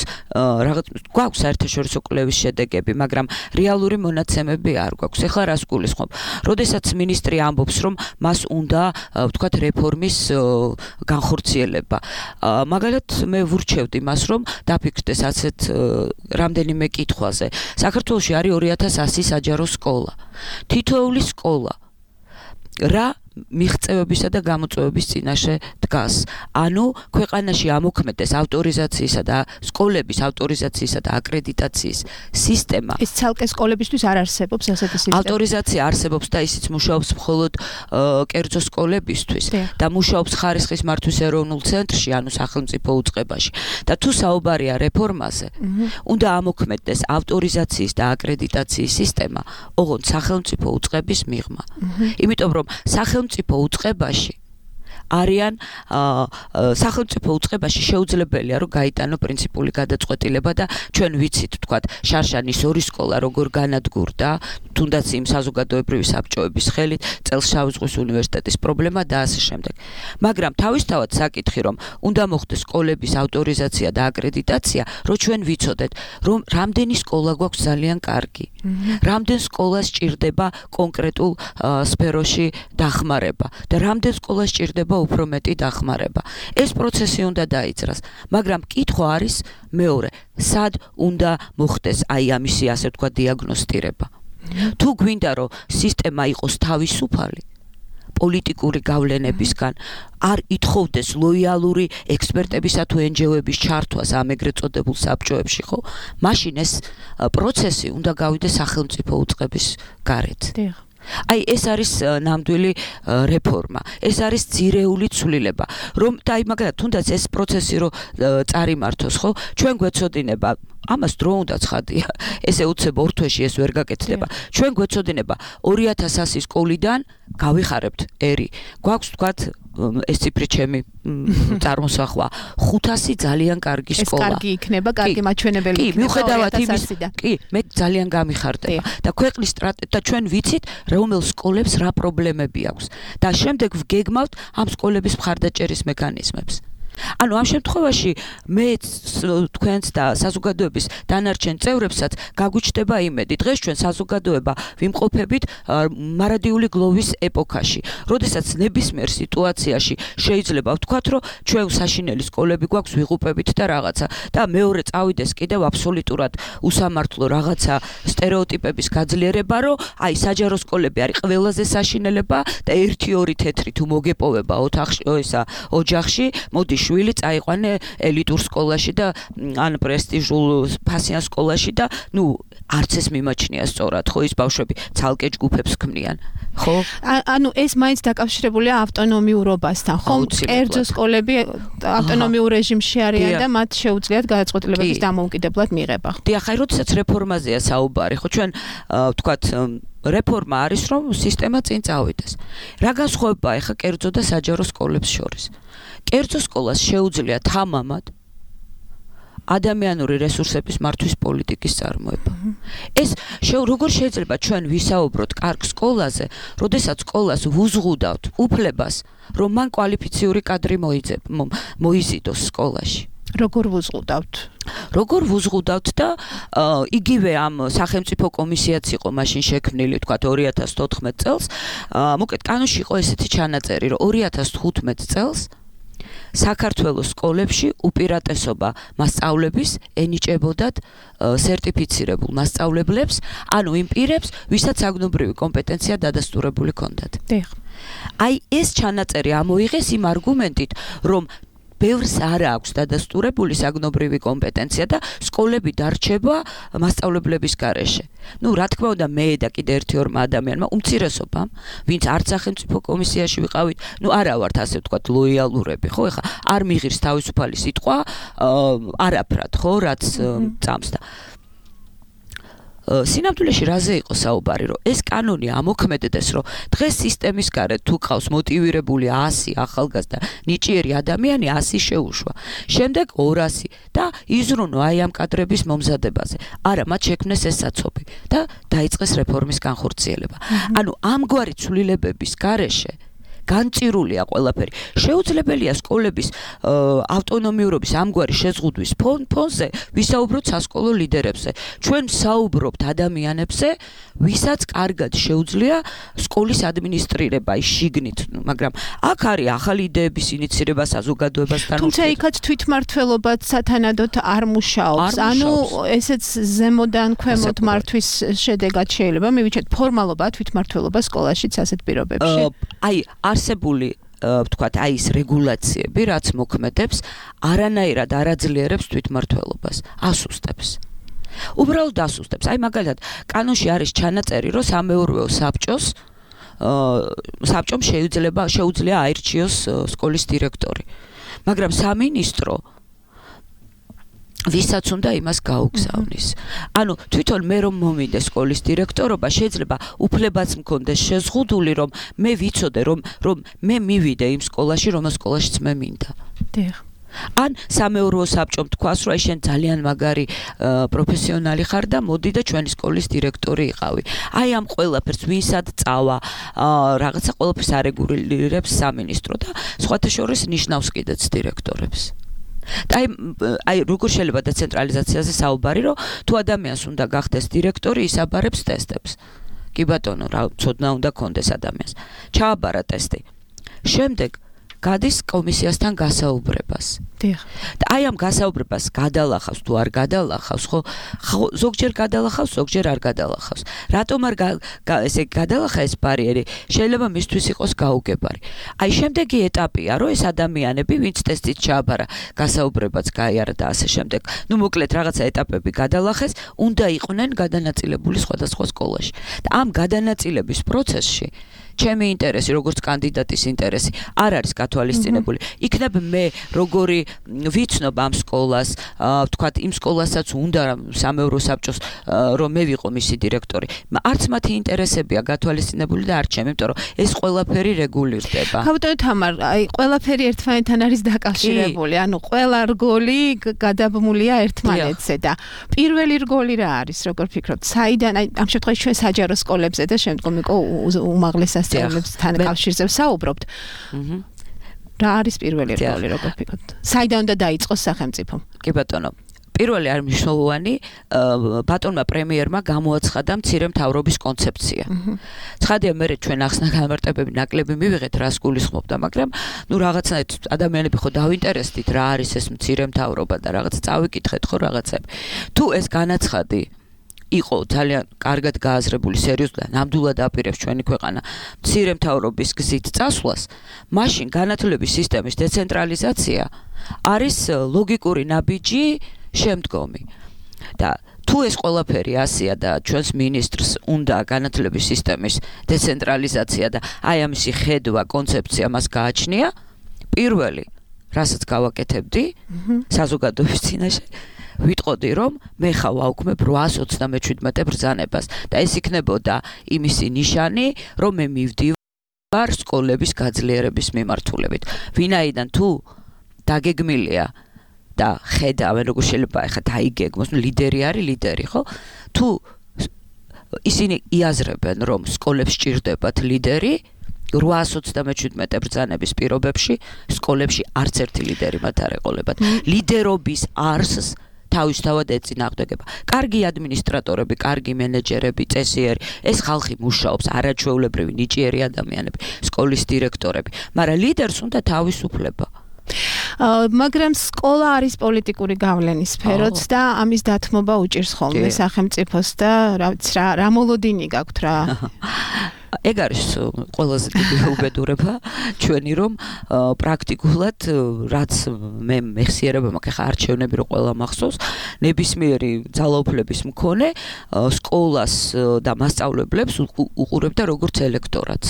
რაღაც გვაქვს საერთაშორისო კვლევის შედეგები, მაგრამ რეალური მონაცემები არ გვაქვს. ეხლა რას გულისხმობ? როდესაც ministri ამბობს, რომ მას უნდა ვთქვათ რეფორმის განხორციელება. მაგალითად მე ვურჩევდი მას, რომ დაფიქრდეს ასეთ რამდენიმე კითხვაზე. საქართველოში არის ორი ათას ასი საჯარო სკოლა. თითოეული სკოლა რა მიღწევებისა და გამოწვევების წინაშე დგას. ანუ ქვეყანაში ამოქმედეს ავტორიზაციისა და სკოლების ავტორიზაციისა და აკრედიტაციის სისტემა. ეს ცალკე სკოლებისთვის არ არსებობს ასეთი სისტემა. ავტორიზაცია არსებობს და ისიც მუშაობს მხოლოდ კერძო სკოლებისთვის და მუშაობს ხარისხის მართვის ეროვნულ ცენტრში, ანუ სახელმწიფო უწყებაში. და თუ საუბარია რეფორმაზე, უნდა ამოქმედდეს ავტორიზაციის და აკრედიტაციის სისტემა, ოღონდ სახელმწიფო უწყების მიღმა. იმიტომ რომ სახელმწიფო სახელმწიფო უწყებაში არიან სახელმწიფო უწყებაში შეუძლებელია რომ გაიტანო პრინციპული გადაწყვეტილება და ჩვენ ვიცით თქვათ შარშანის ორი სკოლა როგორ განადგურდა თუნდაც იმ საზოგადოებრივი საბჭოების ხელით წელს შავი ზღვის უნივერსიტეტის პრობლემა და ასე შემდეგ. მაგრამ თავისთავად საკითხი რომ უნდა მოხდეს სკოლების ავტორიზაცია და აკრედიტაცია, რომ ჩვენ ვიცოდეთ რომ რამდენი სკოლა გვაქვს ძალიან კარგი. რამდენ სკოლას ჭირდება კონკრეტულ სფეროში დახმარება და რამდენ სკოლას ჭირდება უფრო მეტი დახმარება. ეს პროცესი უნდა დაიძრას, მაგრამ კითხვა არის მეორე, სად უნდა მოხდეს აი ამისი ასე თქვა დიაგნოსტირება. თუ გვინდა რომ სისტემა იყოს თავისუფალი პოლიტიკური გავლენებისგან, არ ითხოვდეს ლოიალური ექსპერტებისა თუ ენჯიოების ჩართვას ამ ეგრეთ წოდებულ საბჭოებში, ხო? მაშინ ეს პროცესი უნდა გავიდეს სახელმწიფო უწყების გარეთ. აი ეს არის ნამდვილი რეფორმა. ეს არის ძირეული ცვლილება, რომ და აი მაგალითად თუნდაც ეს პროცესი რომ წარიმართოს, ხო? ჩვენ გვეცოდინება ამას დრო უნდა ცხადია. ესე უცებ ორ თვეში ეს ვერ გაკეთდება. ჩვენ გვეცოდინება ორი ათას ასი სკოლიდან გავიხარებთ ერი. გვაქვს თქვათ ეს ციფრი ჩემი წარმოსახვა ხუთასი ძალიან კარგი სკოლა. ეს კარგი იქნება, კარგი მაჩვენებელი იქნება. კი, მიუხედავად იმის, კი, მე ძალიან გამიხარდება და ქვეყნის სტრატეგია და ჩვენ ვიცით რომელ სკოლებს რა პრობლემები აქვს და შემდეგ ვგეგმავთ ამ სკოლების მხარდაჭერის მექანიზმებს. ანუ ამ შემთხვევაში მე თქვენს და საზოგადოების დანარჩენ წევრებსაც გაგვიჩნდება იმედი. დღეს ჩვენ საზოგადოება ვიმყოფებით მარადიული გლოვის ეპოქაში, როდესაც ნებისმიერ სიტუაციაში შეიძლება ვთქვათ, რომ ჩვენ საშინელი სკოლები გვაქვს, ვიღუპებით და რაღაცა და მეორე წავიდეს კიდევ აბსოლუტურად უსამართლო რაღაცა სტერეოტიპების გაძლიერება, რომ აი საჯარო სკოლები არის ყველაზე საშინელება და ერთი ორი თეთრი თუ მოგეპოვება ოთახში, ესა ოჯახში, მოდი შვილი წაიყვანე ელიტურ სკოლაში და ან პრესტიჟულ ფასიან სკოლაში და ნუ არც ეს მიმაჩნია სწორად, ხო ის ბავშვები ცალკე ჯგუფებს ქმნიან, ხო? ანუ ეს მაინც დაკავშირებულია ავტონომიურობასთან, ხო? კერძო სკოლები ავტონომიურ რეჟიმში არიან და მათ შეუძლიათ გადაწყვეტილებების დამოუკიდებლად მიღება. დიახ, აი როდესაც რეფორმაზეა საუბარი, ხო ჩვენ ვთქვათ რეფორმა არის რომ სისტემა წინ წავიდეს. რა განსხვავებაა ახლა კერძო და საჯარო სკოლებს შორის? კერძო სკოლას შეუძლია თამამად ადამიანური რესურსების მართვის პოლიტიკის წარმოება. ეს როგორ შეიძლება ჩვენ ვისაუბროთ კარგ სკოლაზე, როდესაც სკოლას ვუზღუდავთ უფლებას, რომ მან კვალიფიციური კადრი მოიზიდოს სკოლაში. როგორ ვუზღუდავთ? როგორ ვუზღუდავთ და იგივე ამ სახელმწიფო კომისიაც იყო მაშინ შექმნილი, თქვათ ორი ათას თოთხმეტ წელს. მოკლედ კანონში იყო ესეთი ჩანაწერი, რომ ორი ათას თხუთმეტ წელს საქართველოს სკოლებში უპირატესობა მასწავლების ენიჭებოდათ სერტიფიცირებულ მასწავლებლებს, ანუ იმ პირებს, ვისაც საგნობრივი კომპეტენცია დადასტურებული ჰქონდათ. აი ეს ჩანაწერი ამოიღეს იმ არგუმენტით, რომ ბევრს არ აქვს დადასტურებული საგნობრივი კომპეტენცია და სკოლები დარჩება მასწავლებლების გარეშე. ნუ რა თქმა უნდა მე და კიდე ერთი ორმა ადამიანმა უმცირესობამ, ვინც არც სახელმწიფო კომისიაში ვიყავით, ნუ არა ვართ ასე ვთქვათ ლოიალურები, ხო, ეხა არ მიღირს თავისუფალი სიტყვა არაფრად, ხო, რაც წამს და სინამდვილეში რაზე იყო საუბარი, რომ ეს კანონი ამოქმედდეს, რომ დღეს სისტემის გარეთ თუ ყავს მოტივირებული ასი ახალგაზრდა ნიჭიერი ადამიანი ასი შეუშვა. შემდეგ ორასი და იზრუნო აი ამ კადრების მომზადებაზე. არა, მათ შექმნეს ეს საცობი და დაიწყეს რეფორმის განხორციელება. ანუ ამგვარი ცვლილებების გარეშე განწირულია ყველაფერი. შეუძლებელია სკოლების ავტონომიურობის ამგვარი შეზღუდვის ფონზე ვისაუბროთ სასკოლო ლიდერებზე. ჩვენ საუბრობთ ადამიანებზე, ვისაც კარგად შეუძლია სკოლის ადმინისტრირება შიგნით, მაგრამ აქ არის ახალი იდეების ინიცირება საზოგადოებასთან. თუმცა იქაც თვითმმართველობაც სათანადოდ არ მუშაობს. ანუ ესეც ზემოდან ქვემოთ მართვის შედეგად შეიძლება მივიჩეთ ფორმალობა თვითმმართველობა სკოლაშიც ასეთ პირობებში. აი არსებული ვთქვათ, აი ეს რეგულაციები, რაც მოქმედებს, არანაირად არ აძლიერებს თვითმმართველობას, ასუსტებს. უბრალოდ ასუსტებს. აი მაგალითად, კანონში არის ჩანაწერი, რომ სამეურვეო საბჭოს საბჭომ შეიძლება შეუძლია აირჩიოს სკოლის დირექტორი. მაგრამ სამინისტრო ვისაც უნდა იმას გაუგზავნის. ანუ თვითონ მე რომ მომიდე სკოლის დირექტორობა, შეიძლება უფლებაც მქონდეს შეზღუდული, რომ მე ვიცოდე, რომ რომ მე მივიდე იმ სკოლაში, რომ სკოლაშიც მე მინდა. დიახ. ან სამეურვეო საბჭომ თქვას, რომ აი შენ ძალიან მაგარი პროფესიონალი ხარ და მოდი და ჩვენი სკოლის დირექტორი იყავი. აი ამ ყველაფერს ვინსად წავა, რაღაცა ყველაფერს არეგულირებს სამინისტრო და სხვათა შორის ნიშნავს კიდეც დირექტორებს. აი აი როგორ შეიძლება დეცენტრალიზაციაზე საუბარი, რომ თუ ადამიანს უნდა გახდეს დირექტორი, ის აბარებს ტესტებს. კი ბატონო, რა ცოდნა უნდა კონდეს ადამიანს. ჩააბარა ტესტი. შემდეგ გადის კომისიასთან გასაუბრებას. დიახ. და აი ამ გასაუბრებას გადალახავს თუ არ გადალახავს, ხო? ზოგჯერ გადალახავს, ზოგჯერ არ გადალახავს. რატომ არ ესე გადალახა ეს ბარიერი? შეიძლება მისთვის იყოს გაუგებარი. აი შემდეგი ეტაპია, რომ ეს ადამიანები, ვინც ტესტით ჩააბარა, გასაუბრებაც გაიარა და ასე შემდეგ. ნუ მოკლედ რაღაცა ეტაპები გადალახეს, უნდა იყვნენ გადანაწილებული სხვადასხვა სკოლაში. და ამ გადანაწილების პროცესში ჩემი ინტერესი, როგორც კანდიდატის ინტერესი, არ არის გათვალისწინებული. იქნებ მე როგორი ვიცნობ ამ სკოლას, ვთქვათ, იმ სკოლასაც უნდა სამეურვეო საბჭოს რომ მე ვიყო მისი დირექტორი. არც მათი ინტერესებია გათვალისწინებული და არც ჩემი, იმიტომ რომ ეს ყველაფერი რეგულირდება. ხავტო თამარ, აი ყველაფერი ერთმანეთთან არის დაკავშირებული. ანუ ყველა რგოლი გადაბმულია ერთმანეთზე და პირველი რგოლი რა არის, როგორ ფიქრობთ? საიდან აი ამ შემთხვევაში ჩვენ საჯარო სკოლებზე და შემდგომ იყო უმაღლესად სკოლებთან კავშირზე ვსაუბრობთ. აჰა. რა არის პირველი რგოლი, როგორ ფიქრობთ? საიდან უნდა დაიწყოს სახელმწიფო? კი ბატონო. პირველი არის მნიშვნელოვანი, ბატონმა პრემიერმა გამოაცხადა მცირე მთავრობის კონცეფცია. ცხადია, მე ჩვენ ახსნა განმარტებები ნაკლები მივიღეთ, რას გულისხმობდა, მაგრამ ნუ რაღაცნაირად ადამიანები ხო დავინტერესდით, რა არის ეს მცირე მთავრობა და რაღაც წავიკითხეთ ხო რაღაცები. თუ ეს განაცხადი იყო ძალიან კარგად გააზრებული, სერიოზულად, ნამდვილად აპირებს ჩვენი ქვეყანა მცირე მთავრობის გზით წასვლას, მაშინ განათლების სისტემის დეცენტრალიზაცია არის ლოგიკური ნაბიჯი შემდგომი. და თუ ეს ყველაფერი ასია და ჩვენს მინისტრს უნდა განათლების სისტემის დეცენტრალიზაცია და აი ამისი ხედვა, კონცეფცია მას გააჩნია, პირველი, რასაც გავაკეთებდი საზოგადოების წინაშე, ვიტყოდი, რომ მე ხა ვაუქმებ რვაას ოცდამეჩვიდმეტე ბრძანებას და ეს იქნებოდა იმისი ნიშანი, რომ მე მივდივარ სკოლების გაძლიერების მიმართულებით. ვინაიდან თუ დაგეგმილია და ხედავენ, როგორ შეიძლება ახლა დაიგეგმოს, ნუ ლიდერი არის ლიდერი, ხო? თუ ისინი იაზრებენ, რომ სკოლებს სჭირდებათ ლიდერი, რვაას ოცდამეჩვიდმეტე ბრძანების პირობებში სკოლებში არც ერთი ლიდერი მათ არ ეყოლებათ. ლიდერობის არსს თავისთავად ეწინააღმდეგება. კარგი ადმინისტრატორები, კარგი მენეჯერები, წესიერი, ეს ხალხი მუშაობს, არაჩვეულებრივი ნიჭიერი ადამიანები, სკოლის დირექტორები, მაგრამ ლიდერს უნდა თავისუფლება. მაგრამ სკოლა არის პოლიტიკური გავლენის სფეროც და ამის დათმობა უჭირს ხოლმე სახელმწიფოს და რა რა მოლოდინი გაქვთ რა. ეგ არის ყველაზე დიდი უბედურება ჩვენი, რომ პრაქტიკულად რაც მე მეხსიერება მაქვს, ხა არჩევნები რო ყველა მახსოვს, ნებისმიერი ძალაუფლების მქონე სკოლას და მასწავლებლებს უყურებდა როგორც ელექტორატს.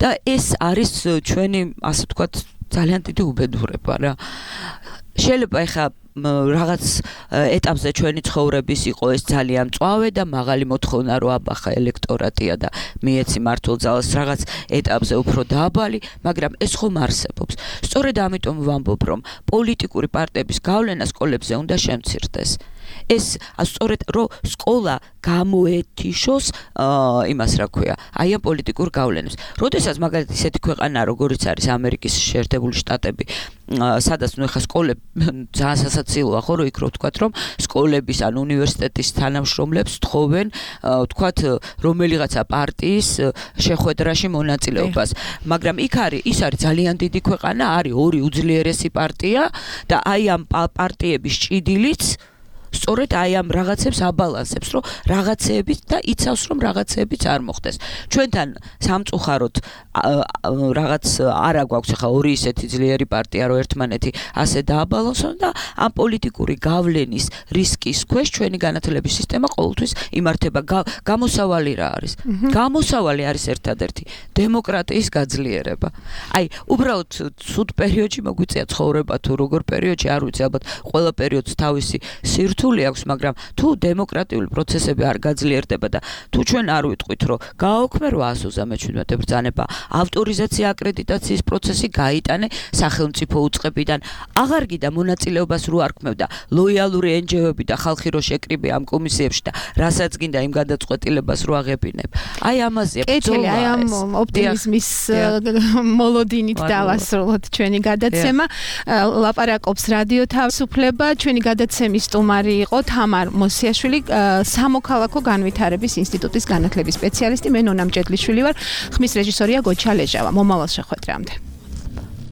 და ეს არის ჩვენი, ასე ვთქვათ, ძალიან დიდი უბედურება რა. შეიძლება ეხა რაღაც ეტაპზე ჩვენი ცხოვრების იყო ეს ძალიან მწვავე და მაღალი მოთხოვნა რო აბახა ელექტორატია და მიეცი მართულ ძალას რაღაც ეტაპზე უფრო დაბალი, მაგრამ ეს ხომ არსებობს. სწორედ ამიტომ ვამბობ, რომ პოლიტიკური პარტიების გავლენა სკოლებზე უნდა შემცირდეს. ეს სწორედ რო სკოლა გამოეთიშოს იმას რა ქვია, აი ამ პოლიტიკურ გავლენებს. როდესაც მაგალითად ისეთი ქვეყანა როგორიც არის ამერიკის შეერთებული შტატები, სადაც ნუ ეხა სკოლები ძალიან სასაცილოა ხო, რო იქ რო ვთქვათ, რომ სკოლების ან უნივერსიტეტის თანამშრომლებს თხოვენ ვთქვათ რომელიღაცა პარტიის შეხვედრაში მონაწილეობას. მაგრამ იქ არის ის არის ძალიან დიდი ქვეყანა, არის ორი უძლიერესი პარტია და აი ამ პარტიების ჭიდილიც სწორედ აი ამ რაღაცებს აბალანსებს, რომ რაღაცეებით და იცავს, რომ რაღაცეებიც არ მოხდეს. ჩვენთან სამწუხაროდ რაღაც არა გვაქვს ახლა ორი ისეთი ძლიერი პარტია, რომ ერთმანეთი ასე დააბალანსონ და ამ პოლიტიკური გავლენის რისკის ქვეშ ჩვენი განათლების სისტემა ყოველთვის იმართება. გამოსავალი რა არის? გამოსავალი არის ერთადერთი დემოკრატიის გაძლიერება. აი, უბრალოდ ცუდ პერიოდში მოგვიწია ცხოვრება თუ როგორ პერიოდში, არ ვიცი, ალბათ ყველა პერიოდს თავისი სირთულე რთული აქვს, მაგრამ თუ დემოკრატიული პროცესები არ გაძლიერდება და თუ ჩვენ არ ვიტყვით, რომ გააოქმე რვაასო ოცდამეჩვიდმეტე ბრძანება, ავტორიზაცია აკრედიტაციის პროცესი გაიტანე სახელმწიფო უწყებიდან, აღარ გიდა მონაწილეობას რო არ ქმევდა ლოიალური ენჯიოები და ხალხი რო შეკრიბე ამ კომისიებში და რასაც გინდა იმ გადაწყვეტილებას რო აღებინებ. აი ამაზეა ბრძოლა. აი ამ ოპტიმიზმის მოლოდინით დავასრულოთ ჩვენი გადაცემა. ლაპარაკობს რადიო თავისუფლება, ჩვენი გადაცემის სტუმარი იყო თამარ მოსიაშვილი, სამოქალაქო განვითარების ინსტიტუტის განათლების სპეციალისტი. მე ნონა მჭედლიშვილი ვარ, ხმის რეჟისორია გოჩა ლეჟავა. მომავალ შეხვედრამდე.